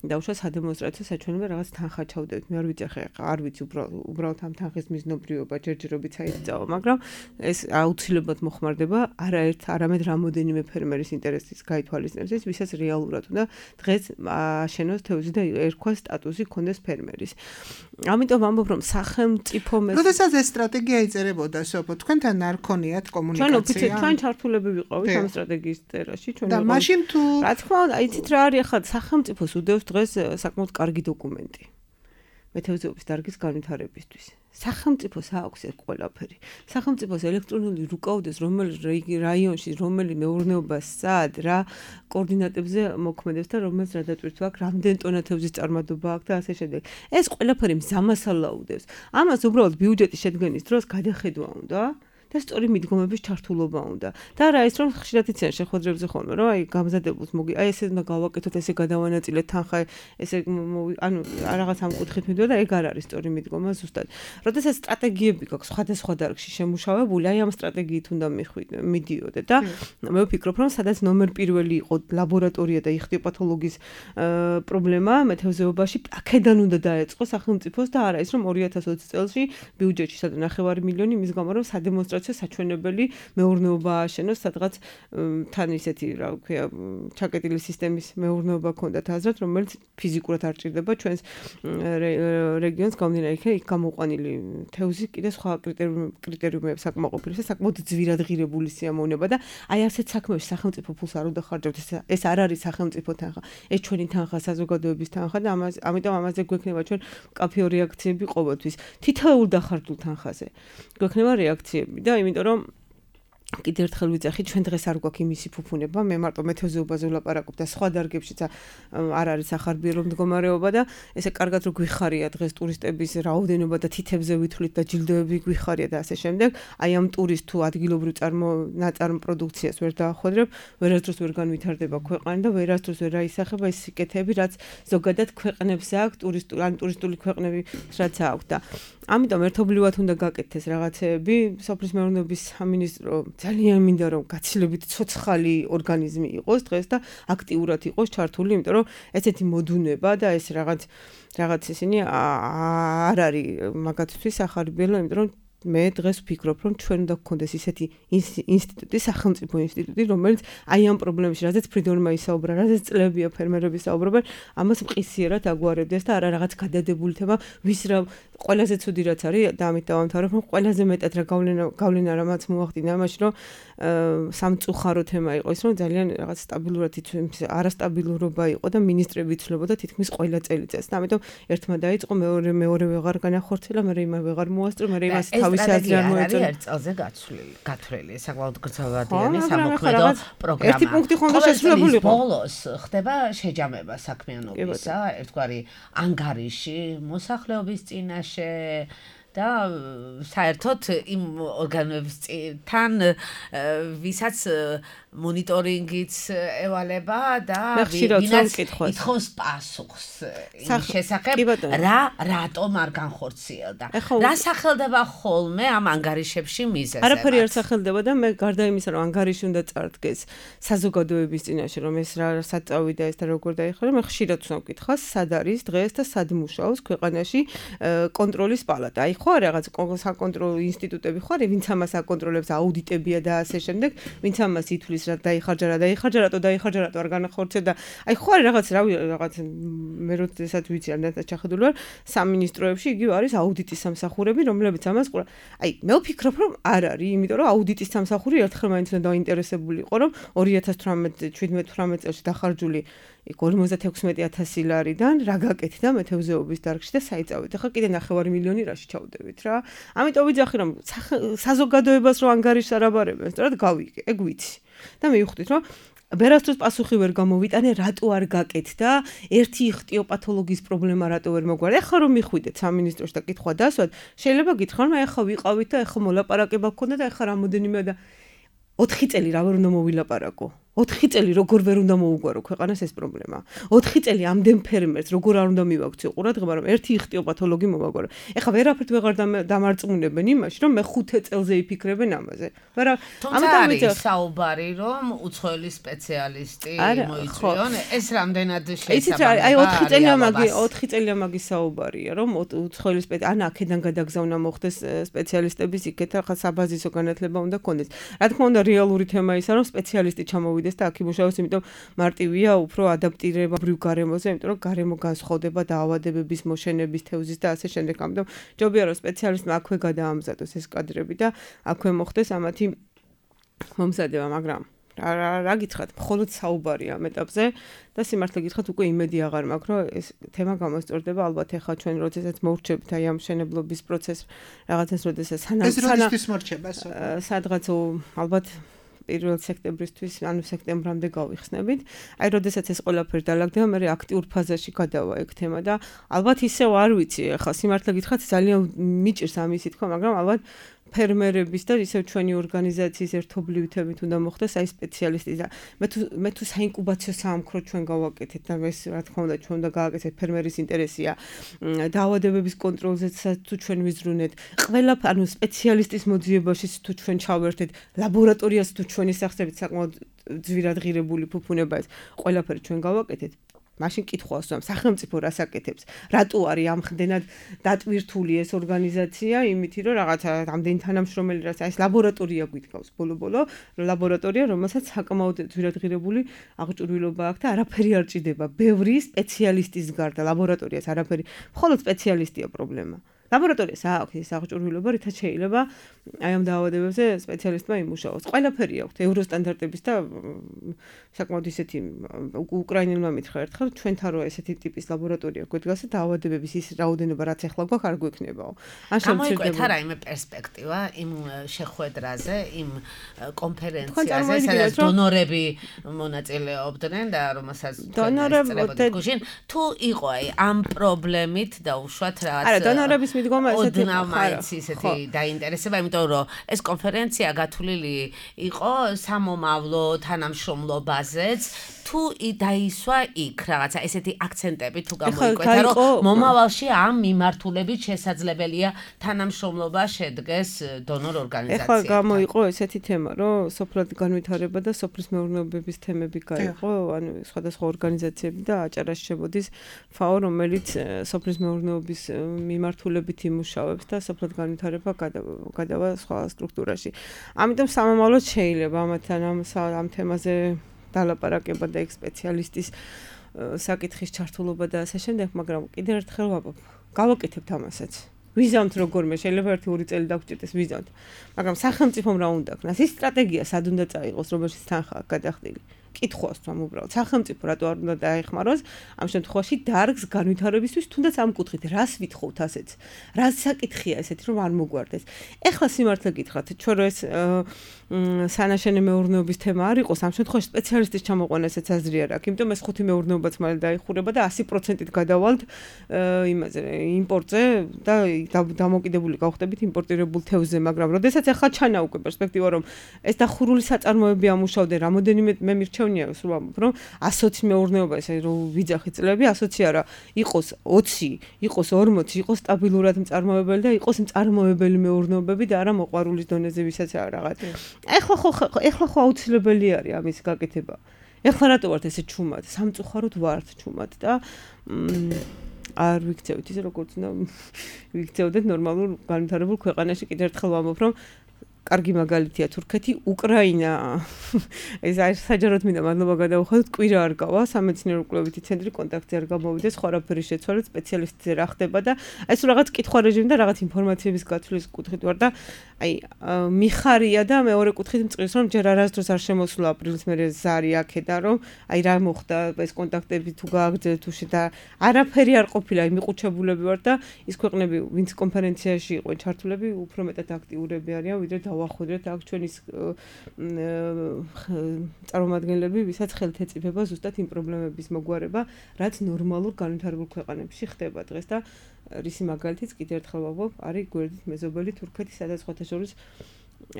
და უშუალოდ სადემონსტრაციო საჩვენებო რაღაც თანხა ჩავდებით. მე არ ვიცი ხა არ ვიცი უბრალოდ ამ თანხის მიზნობრიობა ჯერჯერობით აიწავა, მაგრამ ეს აუცილებლად მოხმარდება არაერთ არამედ რამოდენიმე ფერმერის ინტერესის გაითვალისწინებისთვის, ვისაც რეალურად უნდა დღეს აშენოს თევზი და ერქვა სტატუსი კონდეს ფერმერის. ამიტომ ვამბობ, რომ სახელმწიფო მე როდესაც ეს სტრატეგია იწერებოდა, სოფო, თქვენთან არ ქონიათ კომუნიკაცია? ჩვენ ოფიციალურად ჩვენ ჩართულები ვიყავით ამ სტრატეგიის წერაში, ჩვენ და მაშინ თუ რა თქმა უნდა, იცით რა არის ახლა სახელმწიფოს უდევს დღეს საკმაოდ კარგი დოკუმენტი. მეთევზეობის დარგის განვითარებისთვის. სახელმწიფოს აქვს ეს ყველაფერი. სახელმწიფოს ელექტრონული რუკაუდეს რომელი რაიონში, რომელი მეურნეობა სად, რა კოორდინატებზე მოქმედებს და რომელს რა დატვირთვა აქვს, რამდენი ტონა თევზის წარმატება აქვს და ასე შემდეგ. ეს ყველაფერი მზამას ალაუდებს. ამას უბრალოდ ბიუჯეტის შედგენის დროს გადახედვა უნდა. და სწორი მიდგომების ჩართულობა უნდა. და რა ის რომ ხშირად იციან შეხვედრებზე ხოლმე, რომ აი გამზადებულს მოგი, აი ესე უნდა გავაკეთოთ, ესე გადავანაწილეთ თანხა, ესე ანუ რაღაც ამ კუთხით მიდვა და ეგ არ არის სწორი მიდგომა ზუსტად. როდესაც სტრატეგიები გაქვს სხვადასხვა დარგში შემუშავებული, აი ამ სტრატეგიით უნდა მიდიოდე და მე ვფიქრობ, რომ სადაც ნომერ პირველი იყო ლაბორატორია და იხტიოპათოლოგიის პრობლემა მეთევზეობაში, აქედან უნდა დაეწყო სახელმწიფოს და არა ის რომ ორი ათას ოცი წელში ბიუჯეტში სადღაც ნახევარი მილიონი იმის გამო რომ სადემონსტრაციო საჩვენებელი მეურნეობა ააშენოს, სადღაც თან ისეთი, რა ვქვია, ჩაკეტილი სისტემის მეურნეობა ქონდათ აზრად, რომელიც ფიზიკურად არ ჭირდება ჩვენს რეგიონს გამდინარე იქ გამოყვანილი თევზი კიდე სხვა კრიტერიუმებს აკმაყოფილებს და საკმაოდ ძვირად ღირებული სიამოვნება და აი ასეთ საქმეებში სახელმწიფო ფულს არ უნდა ხარჯავდეს. ეს არ არის სახელმწიფო თანხა, ეს ჩვენი თანხა, საზოგადოების თანხა და ამას ამიტომ ამაზე გვექნება ჩვენ კაფეო რეაქციები ყოველთვის. თითოეულ დახარჯულ თანხაზე გვექნება რეაქციები და იმიტომ რომ კიდევ ერთხელ ვიძახი, ჩვენ დღეს არ გვაქვს იმისი ფუფუნება, მე მარტო მეთევზეობაზე ვლაპარაკობ და სხვა დარგებშიც არ არის სახარბიელო მდგომარეობა და ესე კარგად რო გვიხარია დღეს ტურისტების რაოდენობა და თითებზე ვითვლით და ჯილდოები გვიხარია და ასე შემდეგ, აი ამ ტურისტ თუ ადგილობრივ წარმო ნაწარმ პროდუქციას ვერ დაახვედრებ, ვერასდროს ვერ განვითარდება ქვეყანა და ვერასდროს ვერ აისახება ეს სიკეთეები, რაც ზოგადად ქვეყნებს აქვს, ტურისტული ან ტურისტული ქვეყნები რაც აქვს და ამიტომ ერთობლივად უნდა გაკეთდეს რაღაცეები, სოფლის მეურნეობის სამინისტრო ძალიან მინდა რომ გაცილებით ცოცხალი ორგანიზმი იყოს დღეს და აქტიურად იყოს ჩართული, იმიტომ რომ ესეთი მოდუნება და ეს რაღაც რაღაც ისინი არ არის მაგათთვის სახარბიელო, იმიტომ რომ მე დღეს ვფიქრობ, რომ ჩვენ უნდა გქონდეს ისეთი ინსტიტუტი, სახელმწიფო ინსტიტუტი, რომელიც აი ამ პრობლემებში, რადგან ფრიდორმა ისაუბრა, რადგან წლებია ფერმერები საუბრობენ, ამას მყისიერად აგვარებდეს და არა რაღაც გადადებული თემა, ვის რა ყველაზე ცუდი რაც არის და ამით დავამთავრებ, რომ ყველაზე მეტად რა გავლენა გავლენა რამაც მოახდინა ამაში, რომ სამწუხარო თემა იყო ის, რომ ძალიან რაღაც სტაბილურად იცვლის, არასტაბილურობა იყო და ministrები იცვლებოდა თითქმის ყველა წელიწადს. და ამიტომ ერთმა დაიწყო, მეორე მეორე ვეღარ განახორციელა, მე იმას ვეღარ მოასწრო, მე იმას თავისი აზრი არ მოეწონა. ერთ წელზე გაცვლილი, გათვლილი, საკმაოდ გრძელვადიანი სამოქმედო პროგრამა. ერთი პუნქტი ხონდა შესრულებული იყო. ბოლოს ხდება შეჯამება საქმიანობისა, ერთგვარი ანგარიში მოსახლეობის წინაშე და საერთოდ იმ ორგანოებთან ვისაც მონიტორინგიც ევალება და ვინაც ითხოვს პასუხს იმის შესახებ, რა რატომ არ განხორციელდა. რა სახელდება ხოლმე ამ ანგარიშებში მიზეზებად? არაფერი არ სახელდება და მე გარდა იმისა, რომ ანგარიში უნდა წარდგეს საზოგადოების წინაშე, რომ ეს რა საწავი და ეს და როგორ დაიხარა, მე ხშირად ვსვამ კითხავს, სად არის დღეს და სად მუშაობს ქვეყანაში კონტროლის პალატა. აი ხო რაღაც საკონტროლო ინსტიტუტები ხო არის, ვინც ამას აკონტროლებს, აუდიტებია და ასე შემდეგ, ვინც ამას ითვლის რა დაიხარჯა რა დაიხარჯა რატო დაიხარჯა რატო არ განახორციელდა. აი ხო არის რაღაც რავი რაღაც მე როდესაც ვიცი არ და ჩახედული ვარ სამინისტროებში იგივე არის აუდიტის სამსახურები, რომლებიც ამას ყურა. აი მე ვფიქრობ რომ არ არის, იმიტომ რომ აუდიტის სამსახური ერთხელ მაინც უნდა დაინტერესებული იყო, რომ ორი ათას თვრამეტ შვიდმეტ თვრამეტ წელს დახარჯული ორმოცდათექვსმეტი ათასი ლარიდან რა გაკეთდა მეთევზეობის დარგში და საიწავით. ახლა კიდე ნახევარი მილიონი რაში ჩავდებით რა. ამიტომ ვიძახი რომ საზოგადოებას რო ანგარიშს არ აბარებენ, სწორად გავიგე, ეგ ვიცი. და მივხვდით რომ ვერასდროს პასუხი ვერ გამოვიტანე, რატო არ გაკეთდა, ერთი იხტიოპათოლოგიის პრობლემა რატო ვერ მოგვარდა. ახლა რომ მიხვიდეთ სამინისტროში და კითხვა დასვათ, შეიძლება გითხრათ, მე ახლა ვიყავით და ახლა მოლაპარაკება გქონდა და ახლა რამოდენიმე და ოთხი წელი რა ვერ უნდა მოვილაპარაკო. ოთხი წელი როგორ ვერ უნდა მოუგვარო ქვეყანას ეს პრობლემა. ოთხი წელი ამდენ ფერმერს როგორ არ უნდა მივაქციო ყურადღება, რომ ერთი იხტიოპათოლოგი მოვაგვარო. ეხლა ვერაფერთ ვეღარ დამარწმუნებენ იმაში, რომ მე ხუთი წელზე იფიქრებენ ამაზე. ვერა, ამიტომ არის საუბარი, რომ უცხოელი სპეციალისტი მოიწვიონ, ეს რამდენად შეიძლება. აი ოთხი წელი ამაგი, ოთხი წელი ამაგი საუბარია, რომ უცხოელი სპეციალისტი, ან აქედან გადაგზავნა მოხდეს სპეციალისტების იქეთ, ახლა საბაზისო განათლება უნდა კონდეს. რა თქმა უნდა, რეალური თემა ისაა, რომ სპეციალისტი ჩამოვიდეს და აქ იმუშაოს, იმიტომ მარტივია უფრო ადაპტირებაბრივ გარემოზე, იმიტომ რომ გარემო განსხვავდება დაავადებების, მოშენების, თევზის და ასე შემდეგ. ამიტომ ჯობია რომ სპეციალისტმა აქვე გადაამზადოს ეს კადრები და აქვე მოხდეს ამათი მომზადება, მაგრამ რა რა გითხრათ, მხოლოდ საუბარი ამ ეტაპზე და სიმართლე გითხრათ, უკვე იმედი აღარ მაქვს, რომ ეს თემა გამოსწორდება. ალბათ ახლა ჩვენ როდესაც მოვრჩებით აი ამ მშენებლობის პროცესს, რაღაცას როდესაც სანამ ეს როდესაც მორჩება, სადღაც ალბათ პირველ სექტემბრისთვის, ანუ სექტემბრამდე გავიხსნებით. აი როდესაც ეს ყველაფერი დაალაგდება, მე აქტიურ ფაზაში გადავა ეგ თემა და ალბათ ისევ არ ვიცი, ახლა სიმართლე გითხრათ, ძალიან მიჭირს ამისი თქმა, მაგრამ ალბათ ფერმერების და ისევ ჩვენი ორგანიზაციის ერთობლივთებით უნდა მოხდეს აი სპეციალისტი და მე თუ მე თუ საინკუბაციო საამქრო ჩვენ გავაკეთეთ და ეს რა თქმა უნდა ჩვენ უნდა გააკეთეთ ფერმერის ინტერესია დაავადებების კონტროლზეც თუ ჩვენ ვიზრუნეთ ყველა ანუ სპეციალისტის მოძიებაში თუ ჩვენ ჩავერთეთ ლაბორატორიას თუ ჩვენი სახსრებით საკმაოდ ძვირად ღირებული ფუფუნება ეს ყველაფერი ჩვენ გავაკეთეთ მაშინ კითხვას ვამ სახელმწიფო რას აკეთებს რატო არის ამდენად დატვირთული ეს ორგანიზაცია იმითი რომ რაღაცა ამდენი თანამშრომელი რაც აი ეს ლაბორატორია გვიდგავს ბოლო-ბოლო ლაბორატორია რომელსაც საკმაოდ ძვირად ღირებული აღჭურვილობა აქვს და არაფერი არ ჭირდება ბევრი სპეციალისტის გარდა ლაბორატორიას არაფერი მხოლოდ სპეციალისტია პრობლემა ლაბორატორიას აქვს ეს აღჭურვილობა რითაც შეიძლება აი ამ დაავადებებზე სპეციალისტმა იმუშაოს ყველაფერი აქვს ევროსტანდარტების და საკმაოდ ისეთი უკრაინელმა მითხრა ერთხელ ჩვენთან რო ესეთი ტიპის ლაბორატორია გვედგას და დაავადებების ის რაოდენობა რაც ახლა გვაქვს არ გვექნებაო ან შემოიკვეთა რაიმე პერსპექტივა იმ შეხვედრაზე იმ კონფერენციაზე სადაც დონორები მონაწილეობდნენ და რომელსაც დონორები გუშინ თუ იყო აი ამ პრობლემით დაუშვათ რაღაც არა დონორების მიდგომა ესეთი ოდნავ ისეთი დაინტერესება იმიტომ რომ ეს კონფერენცია გათვლილი იყო სამომავლო თანამშრომლობაზეც თუ დაისვა იქ რაღაცა ესეთი აქცენტები თუ გამოიკვეთა რომ მომავალში ამ მიმართულებით შესაძლებელია თანამშრომლობა შედგეს დონორ ორგანიზაციებთან. ეხლა გამოიყო ესეთი თემა რომ სოფლად განვითარება და სოფლის მეურნეობების თემები გაიყო ანუ სხვადასხვა ორგანიზაციები და აჭარაში შევოდის ფაო რომელიც სოფლის მეურნეობის მიმართულებით იმუშავებს და სოფლად განვითარება გადავა სხვა სტრუქტურაში. ამიტომ სამომავლოდ შეიძლება ამათთან ამ ამ თემაზე დალაპარაკება და ეგ სპეციალისტის საკითხის ჩართულობა და ასე შემდეგ, მაგრამ კიდევ ერთხელ ვაბობ. გავაკეთებთ ამასაც. ვიზამთ როგორმე, შეიძლება ერთი ორი წელი დაგჭირდეს ვიზამთ. მაგრამ სახელმწიფომ რა უნდა ქნას? ის სტრატეგია სად უნდა წაიღოს, რომელშიც თანხა გადახდილი. კითხვას თვამ უბრალოდ სახელმწიფო რატო არ უნდა დაეხმაროს ამ შემთხვევაში დარგს განვითარებისთვის თუნდაც ამ კუთხით რას ვითხოვთ ასეც რა საკითხია ესეთი რომ არ მოგვარდეს ეხლა სიმართლე გითხრათ ჩვენ რო ეს სანაშენე მეურნეობის თემა არ იყოს ამ შემთხვევაში სპეციალისტის ჩამოყვანა ესეც აზრი არ აქვს იმიტომ ეს ხუთი მეურნეობაც მალე დაიხურება და ასი პროცენტით გადავალთ იმაზე იმპორტზე და დამოკიდებული გავხდებით იმპორტირებულ თევზზე მაგრამ როდესაც ახლა ჩანა უკვე პერსპექტივა რომ ეს დახურული საწარმოები ამუშავდნენ რამოდენიმე მე მირჩევ რომ ასოცი მეურნეობა ესე რომ ვიძახი წლები ასოცი არა იყოს ოცი იყოს ორმოცი იყოს სტაბილურად მწარმოებელი და იყოს მწარმოებელი მეურნეობები და არა მოყვარულის დონეზე ვისაც რაღაც ეხლა ხო ეხლა ხო აუცილებელი არის ამის გაკეთება ეხლა რატო ვართ ესე ჩუმად სამწუხაროდ ვართ ჩუმად და არ ვიქცევთ ისე როგორც უნდა ვიქცევდეთ ნორმალურ განვითარებულ ქვეყანაში კიდევ ერთხელ ვამბობ რომ კარგი მაგალითია თურქეთი, უკრაინა. ეს არის საჯაროდ მინდა მადლობა გადავუხადოთ, კვირა არ გავა, სამეცნიერო კვლევითი ცენტრი კონტაქტზე არ გამოვიდეს, სხვა რაფერი შეცვალეთ, სპეციალისტზე რა ხდება და ეს რაღაც კითხვა რეჟიმი და რაღაც ინფორმაციების გათვლის კუთხით ვარ და აი მიხარია და მეორე კუთხით მწყრის რომ ჯერ არასდროს არ შემოსულა აპრილის მერე ზარი აქედან რომ აი რა მოხდა ეს კონტაქტები თუ გააგრძელეთ თუ შე და არაფერი არ ყოფილა აი მიყუჩებულები ვარ და ის ქვეყნები ვინც კონფერენციაში იყვნენ ჩართულები უფრო მეტად აქტიურები არიან ვიდრე დავახვედრეთ აქ ჩვენი წარმომადგენლები ვისაც ხელთ ეწიფება ზუსტად იმ პრობლემების მოგვარება რაც ნორმალურ განვითარებულ ქვეყანებში ხდება დღეს და რისი მაგალითიც კიდევ ერთხელ ვამბობ არის გვერდით მეზობელი თურქეთი სადაც სხვათა შორის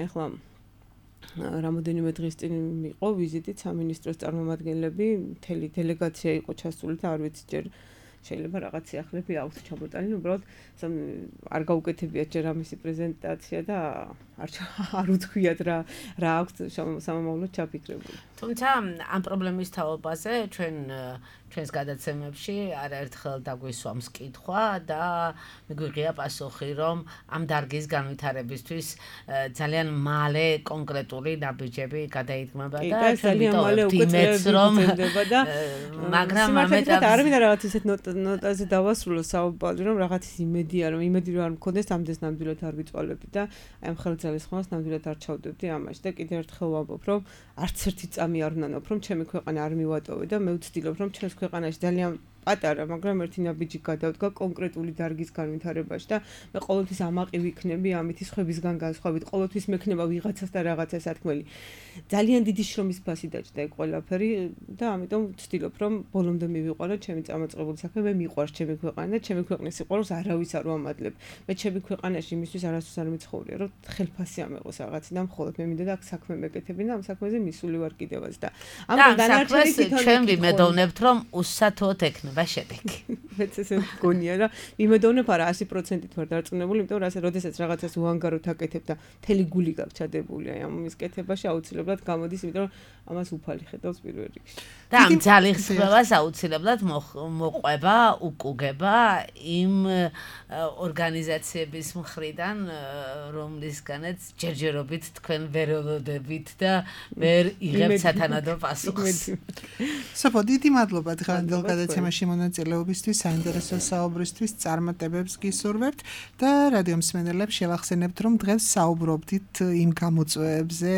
ახლა რამოდენიმე დღის წინ იყო ვიზიტით სამინისტროს წარმომადგენლები მთელი დელეგაცია იყო ჩასული და არ ვიცი ჯერ შეიძლება რაღაც სიახლეები აქვს ჩამოტანილი, უბრალოდ არ გაუკეთებიათ ჯერ ამისი პრეზენტაცია და არ არ უთქვიათ რა რა აქვს სამომავლოდ ჩაფიქრებული. თუმცა ამ პრობლემის თაობაზე ჩვენ ჩვენს გადაცემებში არაერთხელ დაგვისვამს კითხვა და მიგვიღია პასუხი, რომ ამ დარგის განვითარებისთვის ძალიან მალე კონკრეტული ნაბიჯები გადაიდგმება და ძალიან მალე უკვე წლები გრძელდება და მაგრამ ამ ეტაპზე არ მინდა რაღაც ისეთ ნოტაზე დავასრულო საუბარი, რომ რაღაც ის იმედია, რომ იმედი რომ არ მქონდეს, ამდენს ნამდვილად არ ვიწვალებდი და აი ამ ხელძალის ხმას ნამდვილად არ ჩავდებდი ამაში და კიდევ ერთხელ ვამბობ, რომ არც ერთი წამი არ ვნანობ, რომ ჩემი ქვეყანა არ მივატოვე და მე ვცდილობ, რომ ჩემს ქვეყანაში ძალიან პატარა, მაგრამ ერთი ნაბიჯი გადავდგა კონკრეტული დარგის განვითარებაში და მე ყოველთვის ამაყი ვიქნები ამით სხვებისგან განსხვავებით, ყოველთვის მექნება ვიღაცას და რაღაცას სათქმელი. ძალიან დიდი შრომის ფასი დაჭდა ეგ ყველაფერი და ამიტომ ვცდილობ, რომ ბოლომდე მივიყვანო ჩემი წამოწყებული საქმე, მე მიყვარს ჩემი ქვეყანა და ჩემი ქვეყნის სიყვარულს არავის არ ვამადლებ. მე ჩემი ქვეყანაში იმისთვის არასდროს არ მიცხოვრია, რომ ხელფასი ამეყოს რაღაციდან, მხოლოდ მე მინდა და აქ საქმე მეკეთები და ამ საქმეზე მისული ვარ კიდევაც და ამიტომ დანარჩენი თვითონ ჩვენ ვიმედოვნებთ, რომ უსათოდ ექნება შედეგი. მეც ესე მგონია რა, ვიმედოვნებ არა one hundred percent-ით ვარ დარწმუნებული, იმიტომ რომ ასე როდესაც რაღაცას უანგაროდ აკეთებ და მთელი გული გაქვს ჩადებული აი ამ მის კეთებაში აუცილებლად გამოდის, იმიტომ რომ ამას უფალი ხედავს პირველ რიგში. და ამ ძალისხმევას აუცილებლად მოყვება, უკუგება იმ ორგანიზაციების მხრიდან, რომლისგანაც ჯერჯერობით თქვენ ვერ ველოდებით და ვერ იღებთ სათანადო პასუხს. სოფო, დიდი მადლობა დღევანდელ გადაცემაში მონაწილეობისთვის, საინტერესო საუბრისთვის, წარმატებებს გისურვებთ და რადიო მსმენელებს შევახსენებთ, რომ დღეს საუბრობდით იმ გამოწვევებზე,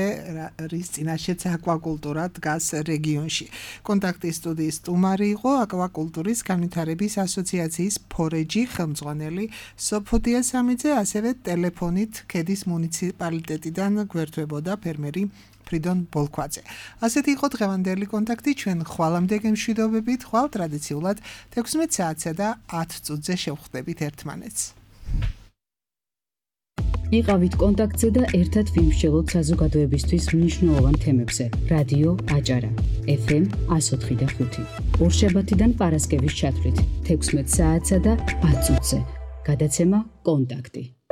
რის წინაშეც აკვაკულტურა დგას რეგიონში. კონტაქტის სტუდიის სტუმარი იყო აკვაკულტურის განვითარების ასოციაციის ფორეჯი ხელმძღვანელი სოფო დიასამიძე, ასევე ტელეფონით ქედის მუნიციპალიტეტიდან გვერდებოდა ფერმერი ფრიდონ ბოლქვაძე. ასეთი იყო დღევანდელი კონტაქტი, ჩვენ ხვალამდე გემშვიდობებით, ხვალ ტრადიციულად თექვსმეტ საათსა და ათ წუთზე შევხვდებით ერთმანეთს. იყავით კონტაქტზე და ერთად ვიმსჯელოთ საზოგადოებისთვის მნიშვნელოვან თემებზე. რადიო აჭარა, ეფ ემ one oh five და ხუთი. ორშაბათიდან პარასკევის ჩათვლით თექვსმეტ საათსა და ათ წუთზე. გადაცემა კონტაქტი.